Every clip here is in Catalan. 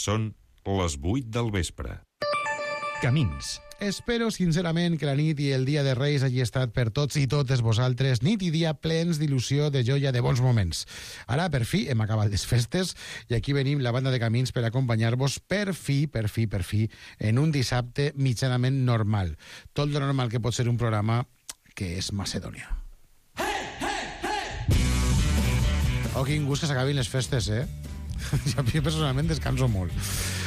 Són les 8 del vespre. Camins. Espero sincerament que la nit i el dia de Reis hagi estat per tots i totes vosaltres nit i dia plens d'il·lusió, de joia, de bons moments. Ara, per fi, hem acabat les festes i aquí venim la banda de Camins per acompanyar-vos per fi, en un dissabte mitjanament normal. Tot lo normal que pot ser un programa que és Macedònia. Oh, quin gust que s'acabin les festes, eh? Jo personalment descanso molt.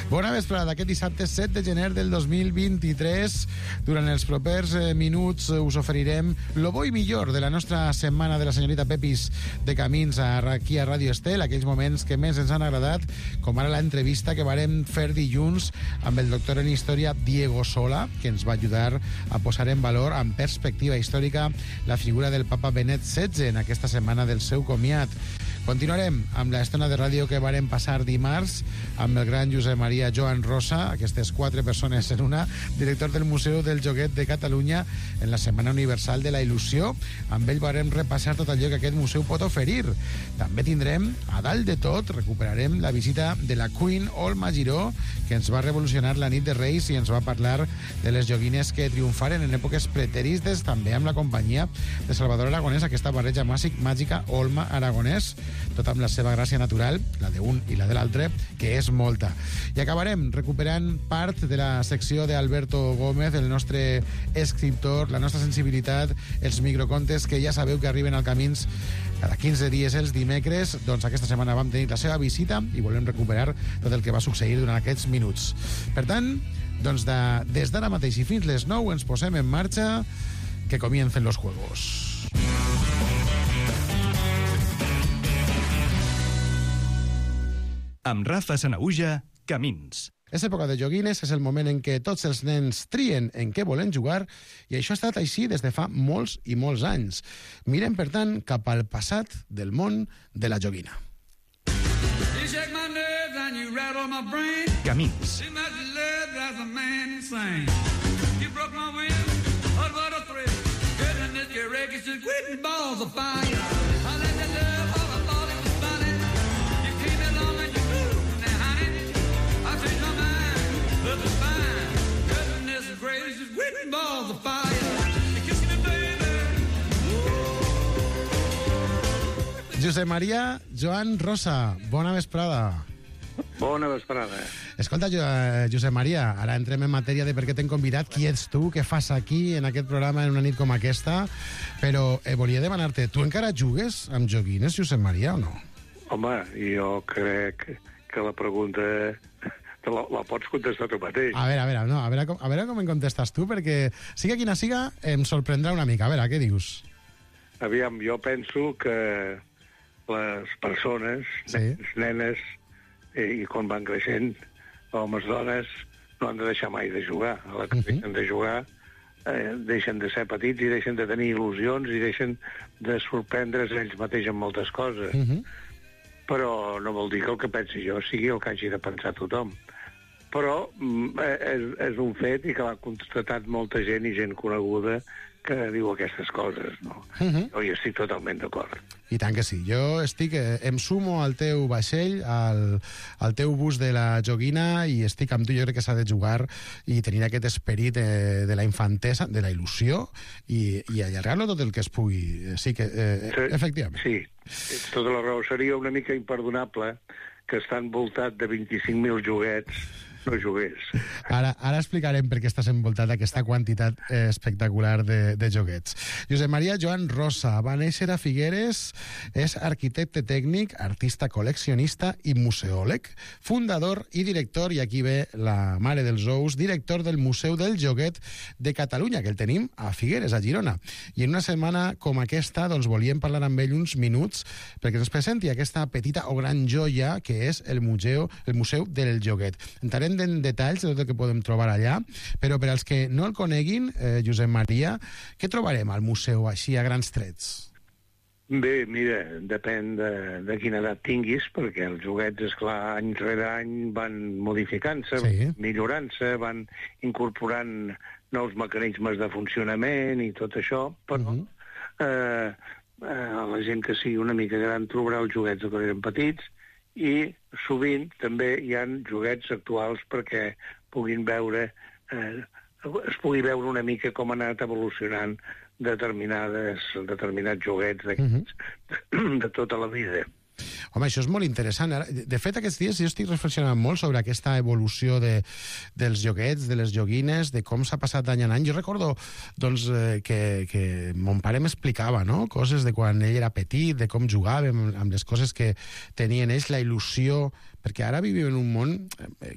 Bona vesprada d'aquest dissabte 7 de gener del 2023. Durant els propers minuts us oferirem lo bo i millor de la nostra setmana de la senyorita Pepis de Camins aquí a Ràdio Estel, aquells moments que més ens han agradat, com ara l'entrevista que vàrem fer dilluns amb el doctor en història Diego Sola, que ens va ajudar a posar en valor, amb perspectiva històrica, la figura del papa Benet XVI en aquesta setmana del seu comiat. Continuarem amb l'estona de ràdio que vàrem passar dimarts amb el gran Josep Maria Joan Rosa, aquestes 4 persones en una, director del Museu del Joguet de Catalunya en la Setmana Universal de la Il·lusió. Amb ell vàrem repassar tot allò que aquest museu pot oferir. També tindrem, a dalt de tot, recuperarem la visita de la Queen Olma Giró, que ens va revolucionar la nit de Reis i ens va parlar de les joguines que triomfaren en èpoques preteristes, també amb la companyia de Salvador Aragonès, aquesta barreja màgica Olma-Aragonès, tot amb la seva gràcia natural, la d'un i la de l'altre, que és molta. I acabarem recuperant part de la secció d'Alberto Gómez, el nostre escriptor, la nostra sensibilitat, els microcontes que ja sabeu que arriben al Camins cada 15 dies els dimecres. Doncs aquesta setmana vam tenir la seva visita i volem recuperar tot el que va succeir durant aquests minuts. Per tant, doncs des d'ara mateix i fins les 9 ens posem en marxa, que comiencen los juegos. Amb Rafa Sanaüja, Camins. És època de joguines, és el moment en què tots els nens trien en què volen jugar i això ha estat així des de fa molts i molts anys. Mirem, per tant, cap al passat del món de la joguina. Camins. Josep Maria Joan Rosa, bona vesprada. Bona vesprada. Escolta, Josep Maria, ara entrem en matèria de per què t'hem convidat, qui ets tu, què fas aquí en aquest programa en una nit com aquesta, però volia demanar-te, tu encara jugues amb joguines, Josep Maria, o no? Home, jo crec que la pregunta la pots contestar tu mateix. A veure com em contestes tu, perquè siga quina siga, em sorprendrà una mica. A veure, què dius? Aviam, jo penso que les persones, sí, nenes, i quan van creixent, homes, dones, no han de deixar mai de jugar. A la que deixen de jugar, deixen de ser petits i deixen de tenir il·lusions i deixen de sorprendre's ells mateix en moltes coses. Però no vol dir que el que pensi jo sigui el que hagi de pensar tothom. Però és un fet i que l'ha constatat molta gent i gent coneguda que diu aquestes coses, no? Jo hi estic totalment d'acord. I tant que sí. Jo em sumo al teu vaixell, al teu bus de la joguina, i estic amb tu. Jo crec que s'ha de jugar i tenir aquest esperit de la infantesa, de la il·lusió, i allargar-lo tot el que es pugui. Sí que, efectivament. Sí, tota la raó. Seria una mica imperdonable que està envoltat de 25.000 joguets no jugués. Ara explicarem per què estàs envoltat d'aquesta quantitat espectacular de joguets. Josep Maria Joan Rosa va néixer a Figueres, és arquitecte tècnic, artista col·leccionista i museòleg, fundador i director, i aquí ve la mare dels ous, director del Museu del Joguet de Catalunya, que el tenim a Figueres, a Girona. I en una setmana com aquesta, doncs volíem parlar amb ell uns minuts perquè ens presenti aquesta petita o gran joia que és el Museu del Joguet. Entrarem en detalls de tot el que podem trobar allà, però per als que no el coneguin, Josep Maria, què trobarem al museu així a grans trets? Bé, mira, depèn de quina edat tinguis, perquè els joguets, esclar, any rere any van modificant-se, sí, millorant-se, van incorporant nous mecanismes de funcionament i tot això, però la gent que sigui una mica gran trobarà els joguets que eren petits i sovint també hi ha joguets actuals perquè puguin veure, es pugui veure una mica com ha anat evolucionant determinats joguets de tota la vida. Home, això és molt interessant. De fet, aquests dies jo estic reflexionant molt sobre aquesta evolució dels joguets, de les joguines, de com s'ha passat d'any en any. Jo recordo doncs, que mon pare m'explicava, no?, coses de quan ell era petit, de com jugàvem, amb les coses que tenien ells, la il·lusió, perquè ara vivim en un món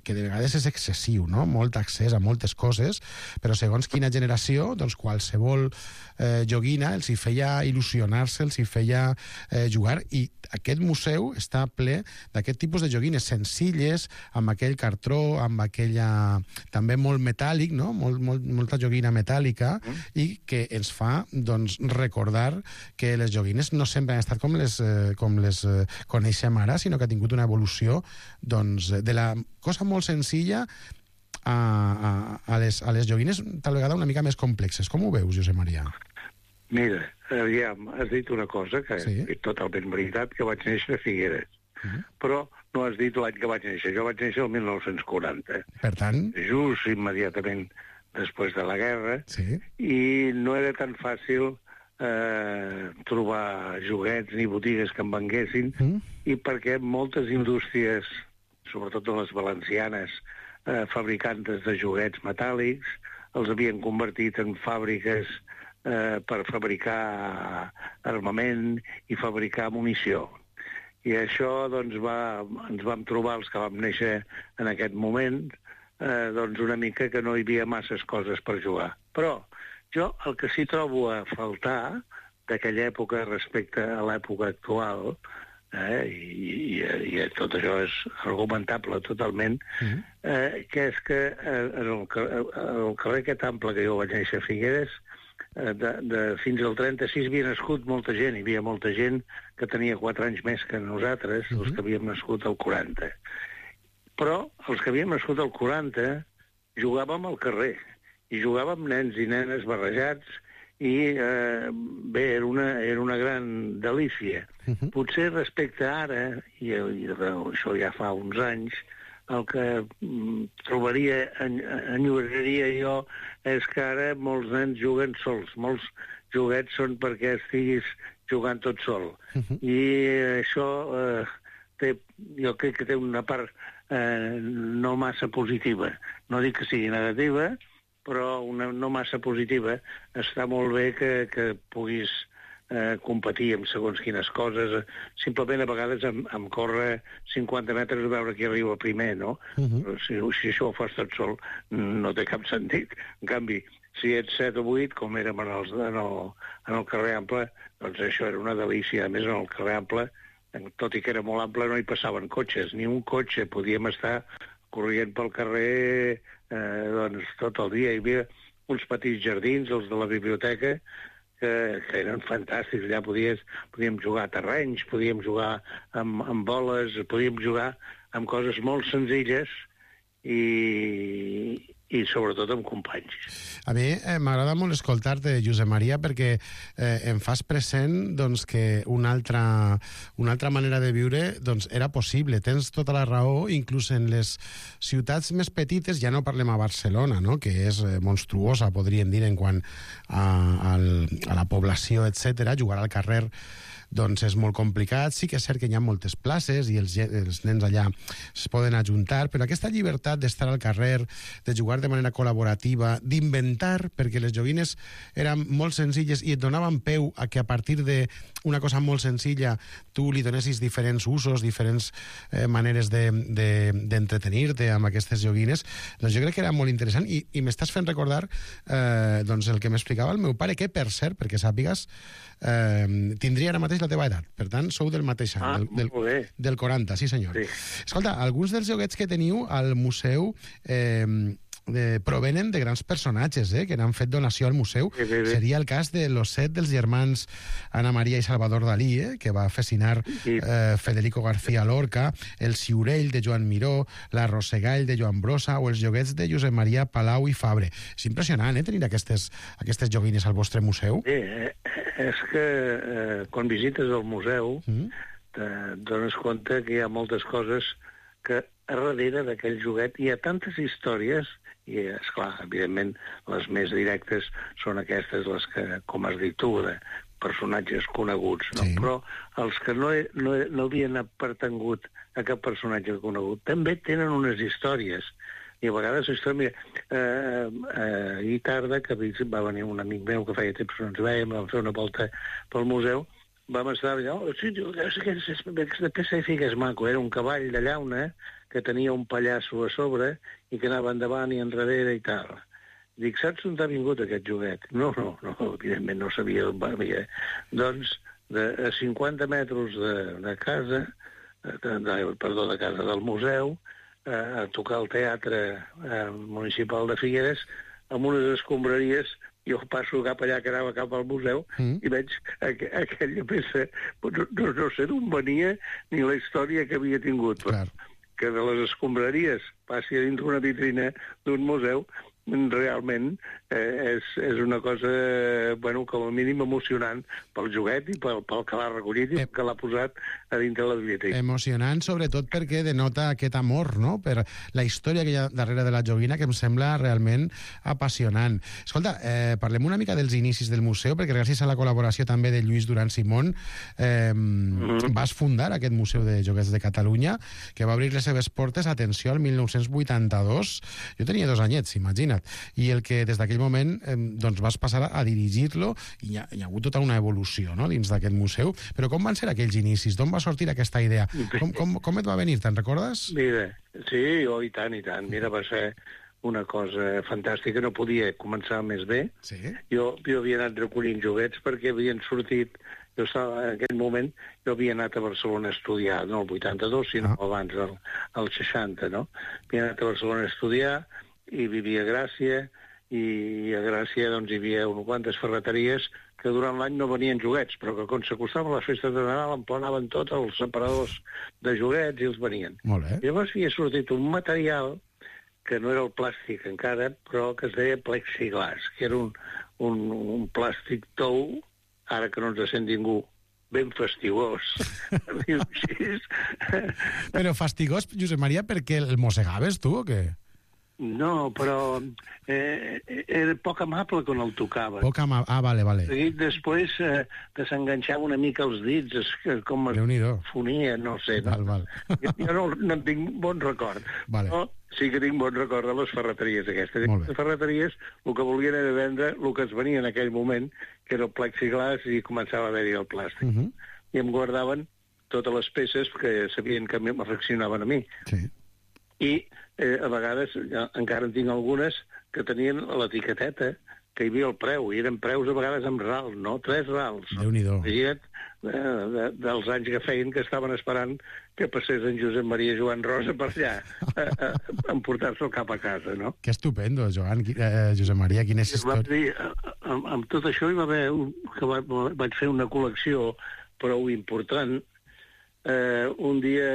que de vegades és excessiu, no?, molt accés a moltes coses, però segons quina generació, doncs qualsevol joguina els hi feia il·lusionar-se, els hi feia jugar, i aquest museu està ple d'aquest tipus de joguines senzilles, amb aquell cartró, amb aquella... també molt metàl·lic, no?, molta joguina metàl·lica, i que ens fa doncs, recordar que les joguines no sempre han estat com les coneixem ara, sinó que ha tingut una evolució doncs, de la cosa molt senzilla a les joguines tal vegada una mica més complexes. Com ho veus, Josep Maria? Mira, aviam, has dit una cosa que sí, és totalment veritat, que vaig néixer a Figueres. Però no has dit l'any que vaig néixer. Jo vaig néixer el 1940. Per tant... just immediatament després de la guerra. Sí. I no era tan fàcil trobar joguets ni botigues que em venguessin, i perquè moltes indústries, sobretot les valencianes, fabricantes de joguets metàl·lics, els havien convertit en fàbriques per fabricar armament i fabricar munició. I això doncs, ens vam trobar, els que vam néixer en aquest moment, doncs una mica que no hi havia masses coses per jugar. Però jo el que sí trobo a faltar d'aquella època respecte a l'època actual, i tot això és argumentable totalment, que és que en el carrer aquest ample que jo vaig néixer a Figueres, fins al 36 havia nascut molta gent, hi havia molta gent que tenia 4 anys més que nosaltres, els que havíem nascut al 40. Però els que havíem nascut al 40 jugàvem al carrer, i jugàvem nens i nenes barrejats, i bé, era una gran delícia. Potser respecte a ara, i això ja fa uns anys, el que trobaria, enyoraria jo, és que ara molts nens juguen sols. Molts joguets són perquè estiguis jugant tot sol. I això jo crec que té una part no massa positiva. No dic que sigui negativa, però una no massa positiva. Està molt bé que puguis competir amb segons quines coses, simplement a vegades amb córrer 50 metres a veure qui arriba primer, no? Si això ho fas tot sol, no té cap sentit. En canvi, si ets 7 o 8, com érem en el carrer Ample, doncs això era una delícia. A més, en el carrer Ample, tot i que era molt ample, no hi passaven cotxes, ni un cotxe. Podíem estar corrent pel carrer doncs, tot el dia. Hi havia uns petits jardins, els de la biblioteca, que eren fantàstics. Allà podíem jugar a terrenys, podíem jugar amb boles, podíem jugar amb coses molt senzilles i sobretot amb companys. A mi m'agrada molt escoltar-te, Josep Maria, perquè em fas present doncs, que una altra manera de viure doncs, era possible. Tens tota la raó, inclús en les ciutats més petites, ja no parlem a Barcelona, no?, que és monstruosa, podríem dir, en quant a la població, etc. Jugar al carrer doncs és molt complicat. Sí que és cert que hi ha moltes places i els nens allà es poden ajuntar, però aquesta llibertat d'estar al carrer, de jugar de manera col·laborativa, d'inventar, perquè les joguines eren molt senzilles i et donaven peu a que a partir d'una cosa molt senzilla tu li donessis diferents usos, diferents maneres d'entretenir-te amb aquestes joguines, doncs jo crec que era molt interessant i m'estàs fent recordar doncs el que m'explicava el meu pare, que per cert, perquè sàpigues, tindria ara mateix la teva edat, per tant sou del mateix any, del 40, sí senyor. Sí. Escolta, alguns dels joguets que teniu al museu provenen de grans personatges que n'han fet donació al museu. Sí. Seria el cas de l'osset dels germans Ana Maria i Salvador Dalí, que va fascinar Federico García Lorca, el Ciurell de Joan Miró, la Rosegall de Joan Brossa o els joguets de Josep Maria Palau i Fabre. És impressionant, tenir aquestes joguines al vostre museu. Sí, és que quan visites el museu dones compte que hi ha moltes coses que a darrere d'aquell joguet hi ha tantes històries, i, esclar, evidentment, les més directes són aquestes, les que, com has dit tu, de personatges coneguts, no? Sí. Però els que no havien pertangut a cap personatge conegut també tenen unes històries. I a vegades, mira, ahir tarda, que va venir un amic meu que feia temps que no ens veiem, vam fer una volta pel museu, vam estar allà, sí, aquesta peça de figa és maco, era un cavall de llauna que tenia un pallasso a sobre i que anava endavant i enrere i tal. Dic, saps on ha vingut aquest joguet? No, evidentment no sabia on venia. Doncs, a 50 metres de casa, de casa del museu, a tocar al teatre municipal de Figueres, amb unes escombraries, jo passo cap allà, que anava cap al museu, i veig aquella peça, no sé d'on venia ni la història que havia tingut. Clar. Que de les escombraries passi a dins una vitrina d'un museu, realment és una cosa, bueno, com a mínim emocionant pel joguet i pel que l'ha recollit i que l'ha posat a dintre la biblioteca. Emocionant, sobretot perquè denota aquest amor, no?, per la història que hi ha darrere de la joguina, que em sembla realment apassionant. Escolta, parlem una mica dels inicis del museu, perquè gràcies a la col·laboració també de Lluís Duran Simón vas fundar aquest Museu de Joguets de Catalunya, que va obrir les seves portes, atenció, al 1982. Jo tenia 2 anyets, imagina't. I el que des d'aquell moment doncs vas passar a dirigir-lo, i hi ha hagut tota una evolució, no?, dins d'aquest museu. Però com van ser aquells inicis? D'on va sortir aquesta idea? Com et va venir? Te'n recordes? Mira, sí, i tant. Mira, va ser una cosa fantàstica, no podia començar més bé. Sí. Jo havia anat recollint joguets perquè havien sortit. Jo estava, en aquell moment, jo havia anat a Barcelona a estudiar, no el 82, sinó abans, el 60, no? Havia anat a Barcelona a estudiar i vivia a Gràcia, i a Gràcia doncs, hi havia unes quantes ferreteries que durant l'any no venien joguets, però que quan s'acostaven les festes de Nadal emplenaven tots els separadors de joguets i els venien. Molt bé. I llavors havia sortit un material que no era el plàstic encara, però que es deia plexiglas, que era un plàstic tou, ara que no ens sent ningú, ben fastigós. Però fastigós, Josep Maria, perquè el mossegaves tu o què? No, però era poc amable quan el tocava. Vale. Després desenganxava una mica els dits, com es fonia, no sé. Val. Jo no en tinc bon record. Vale. Però sí que tinc bon record de les ferreteries aquestes. Les ferreteries el que volien era vendre el que es venia en aquell moment, que era el plexiglas, i començava a haver-hi el plàstic. I em guardaven totes les peces que sabien que m'afeccionaven a mi. Sí. I a vegades, encara en tinc algunes, que tenien l'etiqueteta, que hi havia el preu, i eren preus a vegades amb ral, no? 3 rals. Déu-n'hi-do. Imagina't, dels anys que feien, que estaven esperant que passés en Josep Maria Joan Rosa per allà, a emportar-se'l cap a casa, no? Que estupendo, Josep Maria, quina és història. Amb tot això hi va haver que vaig fer una col·lecció prou important. Un dia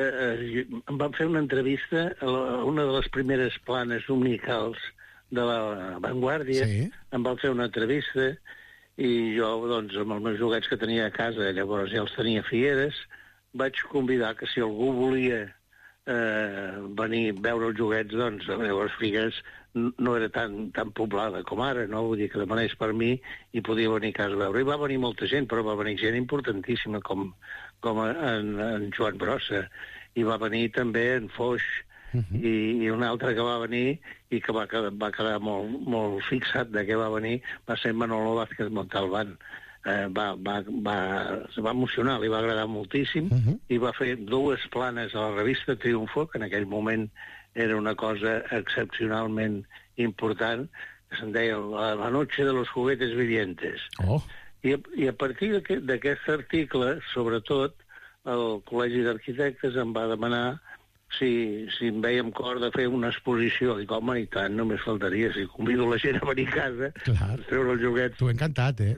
em van fer una entrevista a una de les primeres planes dominicals de la Vanguardia. Sí. Em van fer una entrevista i jo, doncs, amb els meus joguets que tenia a casa, llavors ja els tenia a Figueres, vaig convidar que si algú volia venir a veure els joguets, doncs, llavors Figueres no era tan poblada com ara, no? Vull dir que demanés per mi i podia venir a casa a veure. I va venir molta gent, però va venir gent importantíssima, com en Joan Brossa, i va venir també en Foix, i un altre que va venir i que va quedar molt fixat de què va venir va ser Manolo Vázquez Montalbán. Es va emocionar, li va agradar moltíssim, i va fer 2 planes a la revista Triunfo, que en aquell moment era una cosa excepcionalment important, que se'n deia La noche de los juguetes vivientes. I a partir d'aquest article, sobretot, el Col·legi d'Arquitectes em va demanar si em veiem cor de fer una exposició. Dic, home, i tant, només faltaria. Si convido la gent a venir a casa, a treure els joguets. T'ho he encantat, eh?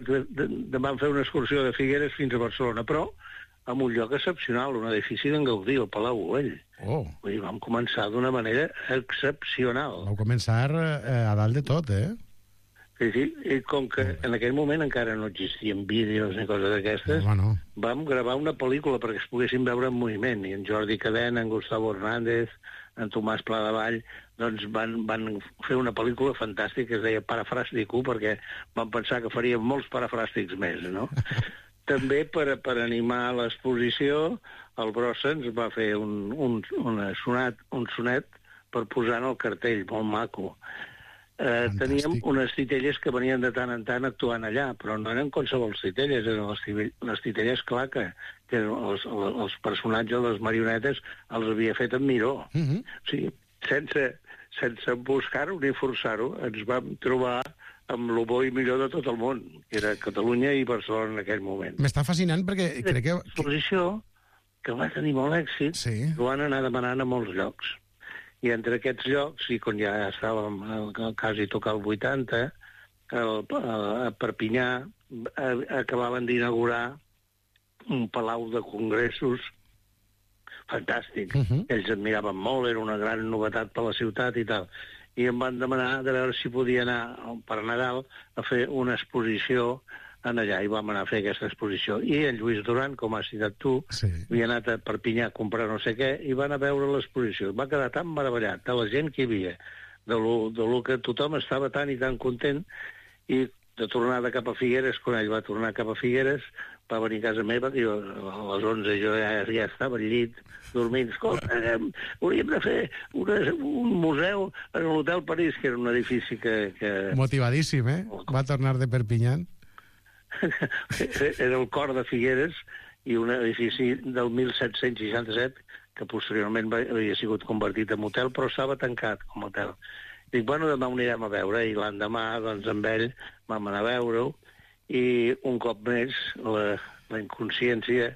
Vam fer una excursió de Figueres fins a Barcelona, però en un lloc excepcional, un edifici d'en Gaudí, el Palau Güell. Vull dir, vam començar d'una manera excepcional. Vau començar a dalt de tot, eh? Sí, i com que en aquell moment encara no existien vídeos ni coses d'aquestes, Bueno. vam gravar una pel·lícula perquè es poguessin veure en moviment, i en Jordi Cadena, en Gustavo Hernández, en Tomàs Pladevall, doncs van fer una pel·lícula fantàstica que es deia Parafràstico, perquè van pensar que faríem molts parafràstics més, no? També per animar l'exposició, el Brossa ens va fer un sonet per posar en el cartell, molt maco. Teníem unes titelles que venien de tant en tant actuant allà, però no eren qualsevol titelles, eren les titelles Claca, que els personatges, les marionetes, els havia fet en Miró. O sigui, sense buscar-ho ni forçar-ho, ens vam trobar amb el bo i millor de tot el món, que era Catalunya i Barcelona en aquell moment. M'està fascinant perquè crec que... L'exposició, que va tenir molt èxit, Sí. ho van anar demanant a molts llocs. I entre aquests llocs, i quan ja estàvem quasi tocar el 80, a Perpinyà acabaven d'inaugurar un palau de congressos fantàstic. Ells admiraven molt, era una gran novetat per la ciutat i tal. I em van demanar de veure si podia anar per Nadal a fer una exposició en allà, i vam anar a fer aquesta exposició. I en Lluís Duran, com has citat tu, havia anat a Perpinyà a comprar no sé què, i van a veure l'exposició. Va quedar tan meravellat de la gent que hi havia, de lo que tothom estava tan i tan content, i de tornada cap a Figueres, quan ell va tornar cap a Figueres, va venir a casa meva, i a les 11 jo ja estava al llit, dormint. Escolta, hauríem de fer un museu en l'Hotel París, que era un edifici que... Motivadíssim, eh? Va tornar de Perpinyà. Era el cor de Figueres, i un edifici del 1767 que posteriorment havia sigut convertit en hotel, però estava tancat com a hotel. Dic, bueno, demà ho anirem a veure, i l'endemà, doncs, amb ell vam anar a veure-ho, i un cop més la inconsciència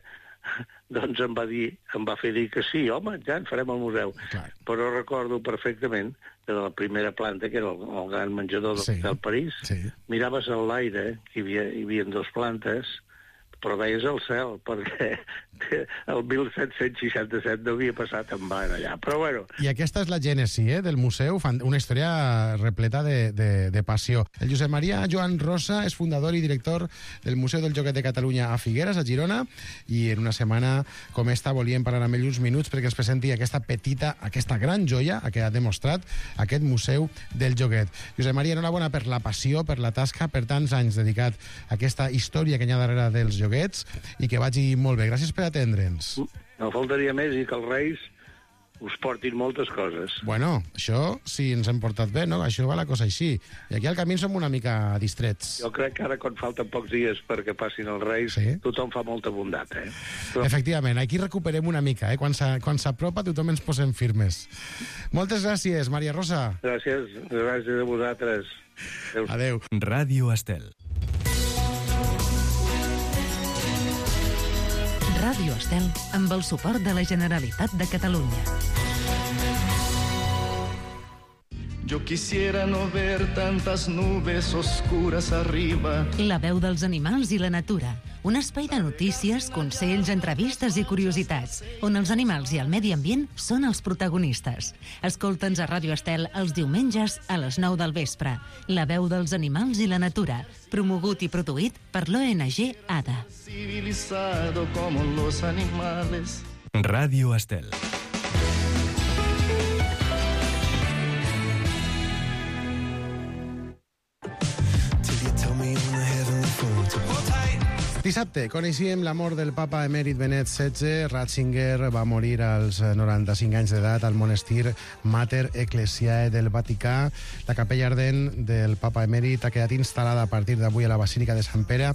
doncs em va fer dir que sí, home, ja en farem el museu. Clar. Però recordo perfectament que de la primera planta, que era el gran menjador del París, miraves a l'aire, que hi havia dues plantes, però veies el cel, perquè el 1767 no havia passat en van allà. Però bueno... I aquesta és la gènesi del museu, una història repleta de passió. El Josep Maria Joan Rosa és fundador i director del Museu del Joguet de Catalunya a Figueres, a Girona, i en una setmana com esta volíem parlar amb ell uns minuts perquè ens presenti aquesta gran joia que ha demostrat aquest Museu del Joguet. Josep Maria, enhorabona per la passió, per la tasca, per tants anys dedicat a aquesta història que hi ha darrere dels joguets, i que vagi molt bé. Gràcies per atendre'ns. No faltaria més, i que els Reis us portin moltes coses. Bueno, això sí ens hem portat bé, no? Això va la cosa així. I aquí al camí som una mica distrets. Jo crec que ara, quan falten pocs dies perquè passin els Reis, tothom fa molta bondat, eh? Però... Efectivament, aquí recuperem una mica, eh? Quan s'apropa tothom ens posem firmes. Moltes gràcies, Maria Rosa. Gràcies a vosaltres. Adéu. Ràdio Estel. Ràdio Estel, amb el suport de la Generalitat de Catalunya. Yo quisiera no ver tantas nubes oscuras arriba. La veu dels animals i la natura. Un espai de notícies, consells, entrevistes i curiositats, on els animals i el medi ambient són els protagonistes. Escolta'ns a Ràdio Estel els diumenges a les 9 del vespre. La veu dels animals i la natura, promogut i produït per l'ONG ADA. Civilizado como los animales. Ràdio Estel. Dissabte coneixíem la mort del papa emèrit Benet XVI. Ratzinger va morir als 95 anys d'edat al monestir Mater Ecclesiae del Vaticà. La capella ardent del papa emèrit ha quedat instal·lada a partir d'avui a la Basílica de Sant Pere,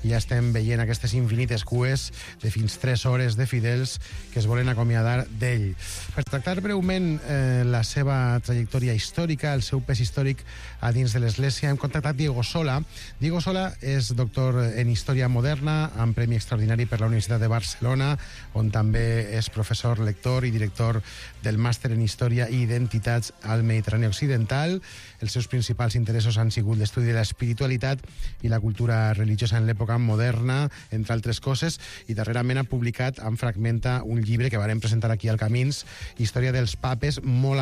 i ja estem veient aquestes infinites cues de fins 3 hores de fidels que es volen acomiadar d'ell. Per tractar breument la seva trajectòria històrica, el seu pes històric a dins de l'Església, hem contactat Diego Sola. Diego Sola és doctor en Història Moderna, moderna, amb Premi Extraordinari per la Universitat de Barcelona, on també és professor, lector i director del Màster en Història i Identitats al Mediterrani Occidental. Els seus principals interessos han sigut l'estudi de l'espiritualitat i la cultura religiosa en l'època moderna, entre altres coses, i darrerament ha publicat en Fragmenta un llibre que varem presentar aquí al Camins, Història dels papes, molt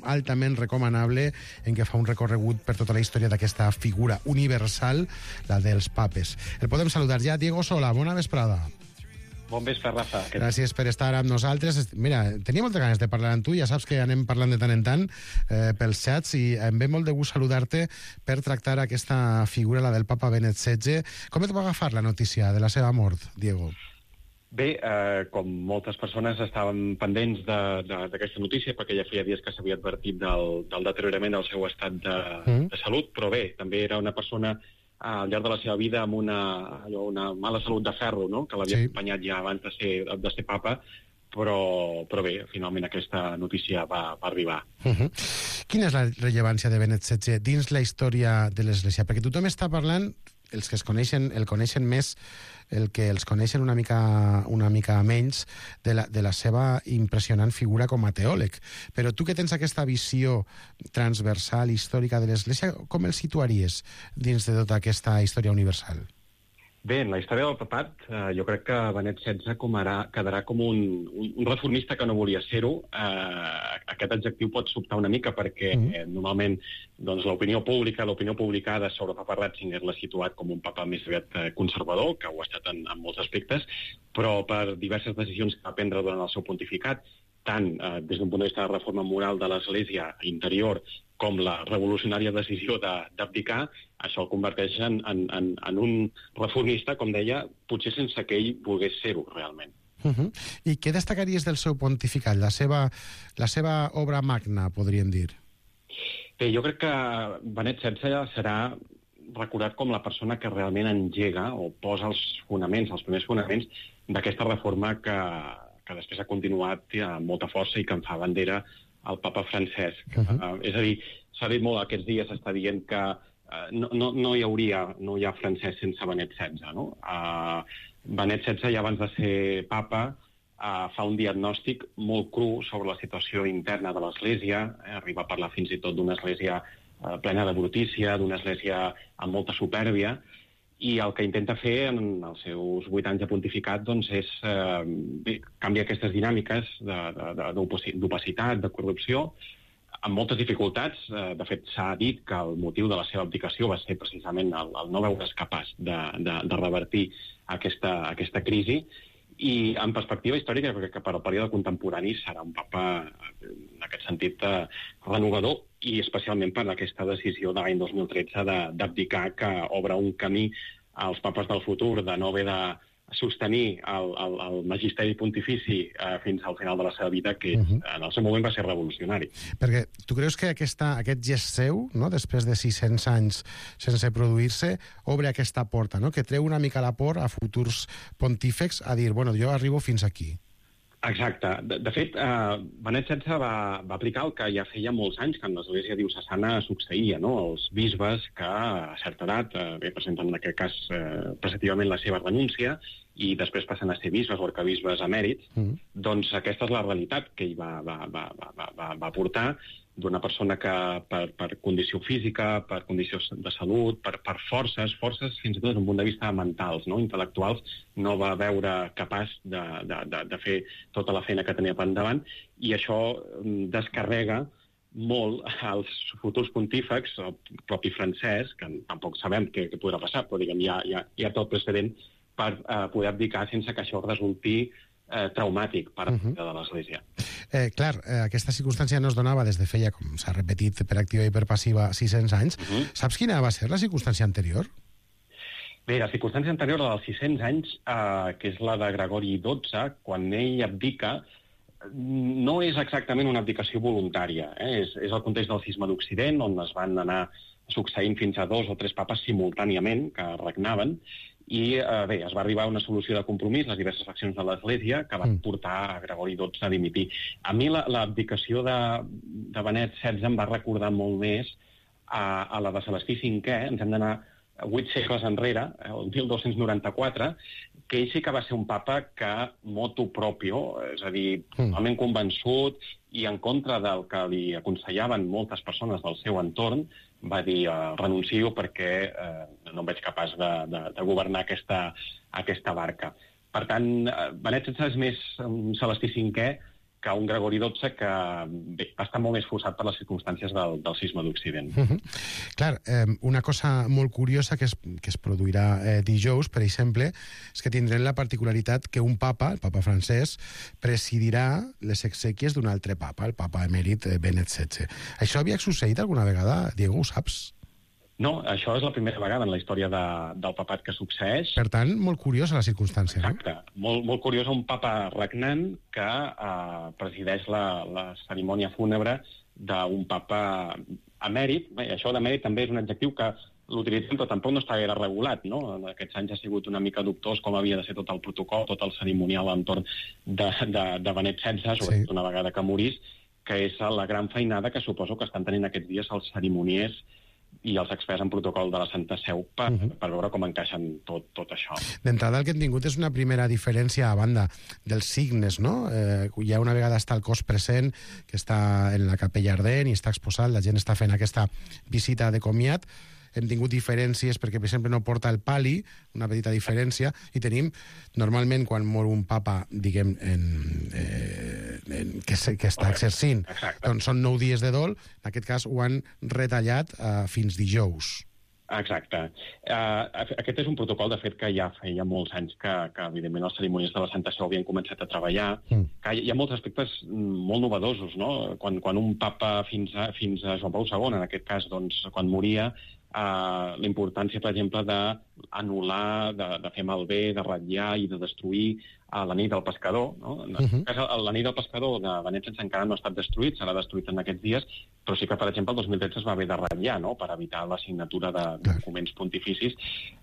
altament recomanable, en què fa un recorregut per tota la història d'aquesta figura universal, la dels papes. El podem saludar ja. Diego Sola, bona vesprada. Bon vespre, Rafa. Gràcies per estar amb nosaltres. Mira, tenia moltes ganes de parlar amb tu, ja saps que anem parlant de tant en tant pels xats, i em ve molt de gust saludar-te per tractar aquesta figura, la del papa Benet XVI. Com et va agafar la notícia de la seva mort, Diego? Bé, com moltes persones estàvem pendents d'aquesta notícia, perquè ja feia dies que s'havia advertit del deteriorament del seu estat de salut, però bé, també era una persona al llarg de la seva vida amb una mala salut de ferro, no?, que l'havia acompanyat ja abans de ser papa, però bé, finalment aquesta notícia va arribar. Quina és la rellevància de Benet XVI dins la història de l'Església? Perquè tothom està parlant, els que el coneixen més, el que els coneixen una mica menys, de la seva impressionant figura com a teòleg. Però tu que tens aquesta visió transversal històrica de l'Església, com el situaries dins de tota aquesta història universal? Bé, en la història del papat, jo crec que Benet XVI quedarà com un reformista que no volia ser-ho. Aquest adjectiu pot sobtar una mica perquè normalment doncs, l'opinió publicada sobre el papa Ratzinger l'ha situat com un papa més aviat conservador, que ho ha estat en molts aspectes, però per diverses decisions que va prendre durant el seu pontificat, tant des d'un punt de vista de reforma moral de l'Església interior com la revolucionària decisió d'abdicar, això el converteix en un reformista, com deia, potser sense que ell volgués ser-ho realment. I què destacaries del seu pontificat, la seva obra magna, podríem dir? Bé, jo crec que Benet XVI serà recordat com la persona que realment engega o posa els primers fonaments d'aquesta reforma que després ha continuat amb molta força i que en fa bandera el papa Francesc. És a dir, s'ha dit molt aquests dies, s'està dient que no hi ha Francesc sense Benet XVI, no? Benet XVI, ja abans de ser papa, fa un diagnòstic molt cru sobre la situació interna de l'Església, arriba a parlar fins i tot d'una església plena de brutícia, d'una església amb molta supèrbia, i el que intenta fer en els seus 8 anys de pontificat doncs, és canviar aquestes dinàmiques d'opacitat, de corrupció, amb moltes dificultats. De fet, s'ha dit que el motiu de la seva abdicació va ser precisament el no veure's capaç de revertir aquesta crisi. I en perspectiva històrica, crec que per al període contemporani serà un papa, en aquest sentit, renovador, i especialment per aquesta decisió de l'any 2013 d'abdicar, que obre un camí als papes del futur de no haver de sostenir el magisteri pontifici fins al final de la seva vida, que en el seu moment va ser revolucionari. Perquè tu creus que aquest gest seu, no, després de 600 anys sense produir-se, obre aquesta porta, no?, que treu una mica la por a futurs pontífecs a dir, bueno, jo arribo fins aquí? Exacte. De fet, Benet XVI va aplicar el que ja feia molts anys que en l'Església diocesana succeïa, no? Els bisbes que a certa edat presenten en aquest cas preceptivament la seva renúncia i després passen a ser bisbes o arquebisbes emèrits, doncs aquesta és la realitat que ell va portar, d'una persona que per condició física, per condició de salut, per forces fins i tot des d'un punt de vista mentals, no? Intel·lectuals, no va veure capaç de fer tota la feina que tenia per endavant, i això descarrega molt als futurs pontífecs, el propi Francesc, que tampoc sabem què podrà passar, però diguem, hi ha tot precedent per poder abdicar sense que això resulti traumàtic per a de l'Església. Clar, aquesta circumstància no es donava des de feia, com s'ha repetit per activa i per passiva, 600 anys. Saps quina va ser la circumstància anterior? Bé, la circumstància anterior, la dels 600 anys, que és la de Gregori XII, quan ell abdica, no és exactament una abdicació voluntària. És el context del cisma d'Occident, on es van anar succeint fins a 2 o 3 papes simultàniament que regnaven, i bé, es va arribar a una solució de compromís, les diverses faccions de l'Església, que van portar a Gregori XII a dimitir. A mi l'abdicació de Benet XVI em va recordar molt més a la de Celestí V. Ens hem d'anar 8 segles enrere, el 1294, que ell sí que va ser un papa que motu proprio, és a dir, totalment convençut i en contra del que li aconsellaven moltes persones del seu entorn, va dir renuncio perquè no em veig capaç de governar aquesta barca. Per tant, Benet XVI és més un Celestí V que un Gregori XII que va estar molt més forçat per les circumstàncies del sisme d'Occident. Clar, una cosa molt curiosa que es produirà dijous, per exemple, és que tindrem la particularitat que un papa, el papa francès, presidirà les exèquies d'un altre papa, el papa emèrit Benet XVI. Això havia succeït alguna vegada, Diego, ho saps? No, això és la primera vegada en la història del papat que succeeix. Per tant, molt curiosa la circumstància. Exacte. No? Molt curiosa, un papa regnant que presideix la cerimònia fúnebre d'un papa emèrit. Bé, això d'emèrit també és un adjectiu que l'utilitzem, però tampoc no està gaire regulat, no? En aquests anys ha sigut una mica dubtós com havia de ser tot el protocol, tot el cerimonial entorn de Benet XVI, sobretot una vegada que morís, que és la gran feinada que suposo que estan tenint aquests dies els cerimoniers i els experts en protocol de la Santa Seu per veure com encaixen tot això. D'entrada, el que hem tingut és una primera diferència a banda dels signes, no? Ja una vegada està el cos present, que està en la capella ardent i està exposat, la gent està fent aquesta visita de comiat. Hem tingut diferències perquè, per exemple, no porta el pali, una petita diferència, i tenim, normalment, quan mor un papa, diguem, que està exercint, doncs són 9 dies de dol, en aquest cas ho han retallat fins dijous. Exacte. Aquest és un protocol, de fet, que ja feia molts anys que evidentment, els cerimonies de la Santa Seu havien començat a treballar. Que hi ha molts aspectes molt novedosos, no? Quan un papa fins a Joan Pau II, en aquest cas, doncs, quan moria, la importància, per exemple, d'anul·lar, de fer malbé, de ratllar i de destruir la nit del pescador. No? En aquest cas, la nit del pescador de Benet XVI encara no ha estat destruït, serà destruït en aquests dies, però sí que, per exemple, el 2013 es va haver de ratllar, no? Per evitar la signatura de documents pontificis.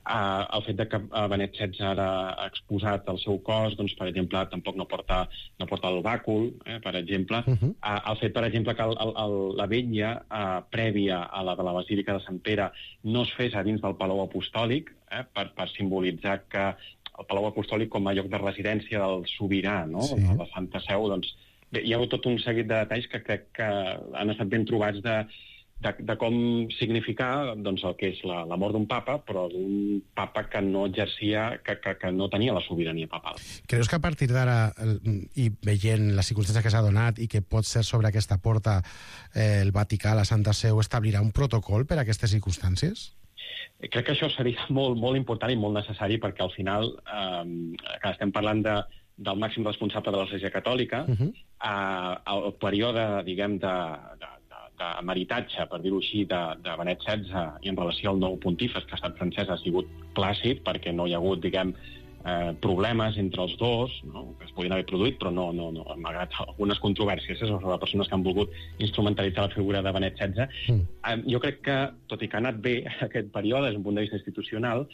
El fet de que Benet XVI ara ha exposat el seu cos, doncs, per exemple, tampoc no porta el bàcul, per exemple. El fet, per exemple, que la vetlla prèvia a la de la Basílica de Sant Pere no es fes a dins del Palau Apostòlic, per simbolitzar que el Palau Apostòlic com a lloc de residència del sobirà, no? Sí. De la Santa Seu, doncs, bé, hi ha hagut tot un seguit de detalls que crec que han estat ben trobats de com significar doncs, el que és la mort d'un papa, però d'un papa que no exercia, que no tenia la sobirania papal. Creus que a partir d'ara, i veient la circumstància que s'ha donat i que pot ser sobre aquesta porta el Vaticà, la Santa Seu, establirà un protocol per a aquestes circumstàncies? Crec que això seria molt, molt important i molt necessari perquè al final, que estem parlant del màxim responsable de l'Església Catòlica, el període, diguem, de meritatge, per dir-ho així, de Benet XVI i en relació al nou pontífex, que ha estat francès, ha sigut plàcid perquè no hi ha hagut, diguem, problemes entre els dos, no? Que es podien haver produït, però no, malgrat algunes controvèrsies sobre persones que han volgut instrumentalitzar la figura de Benet XVI. Jo crec que, tot i que ha anat bé aquest període, des d'un punt de vista institucional,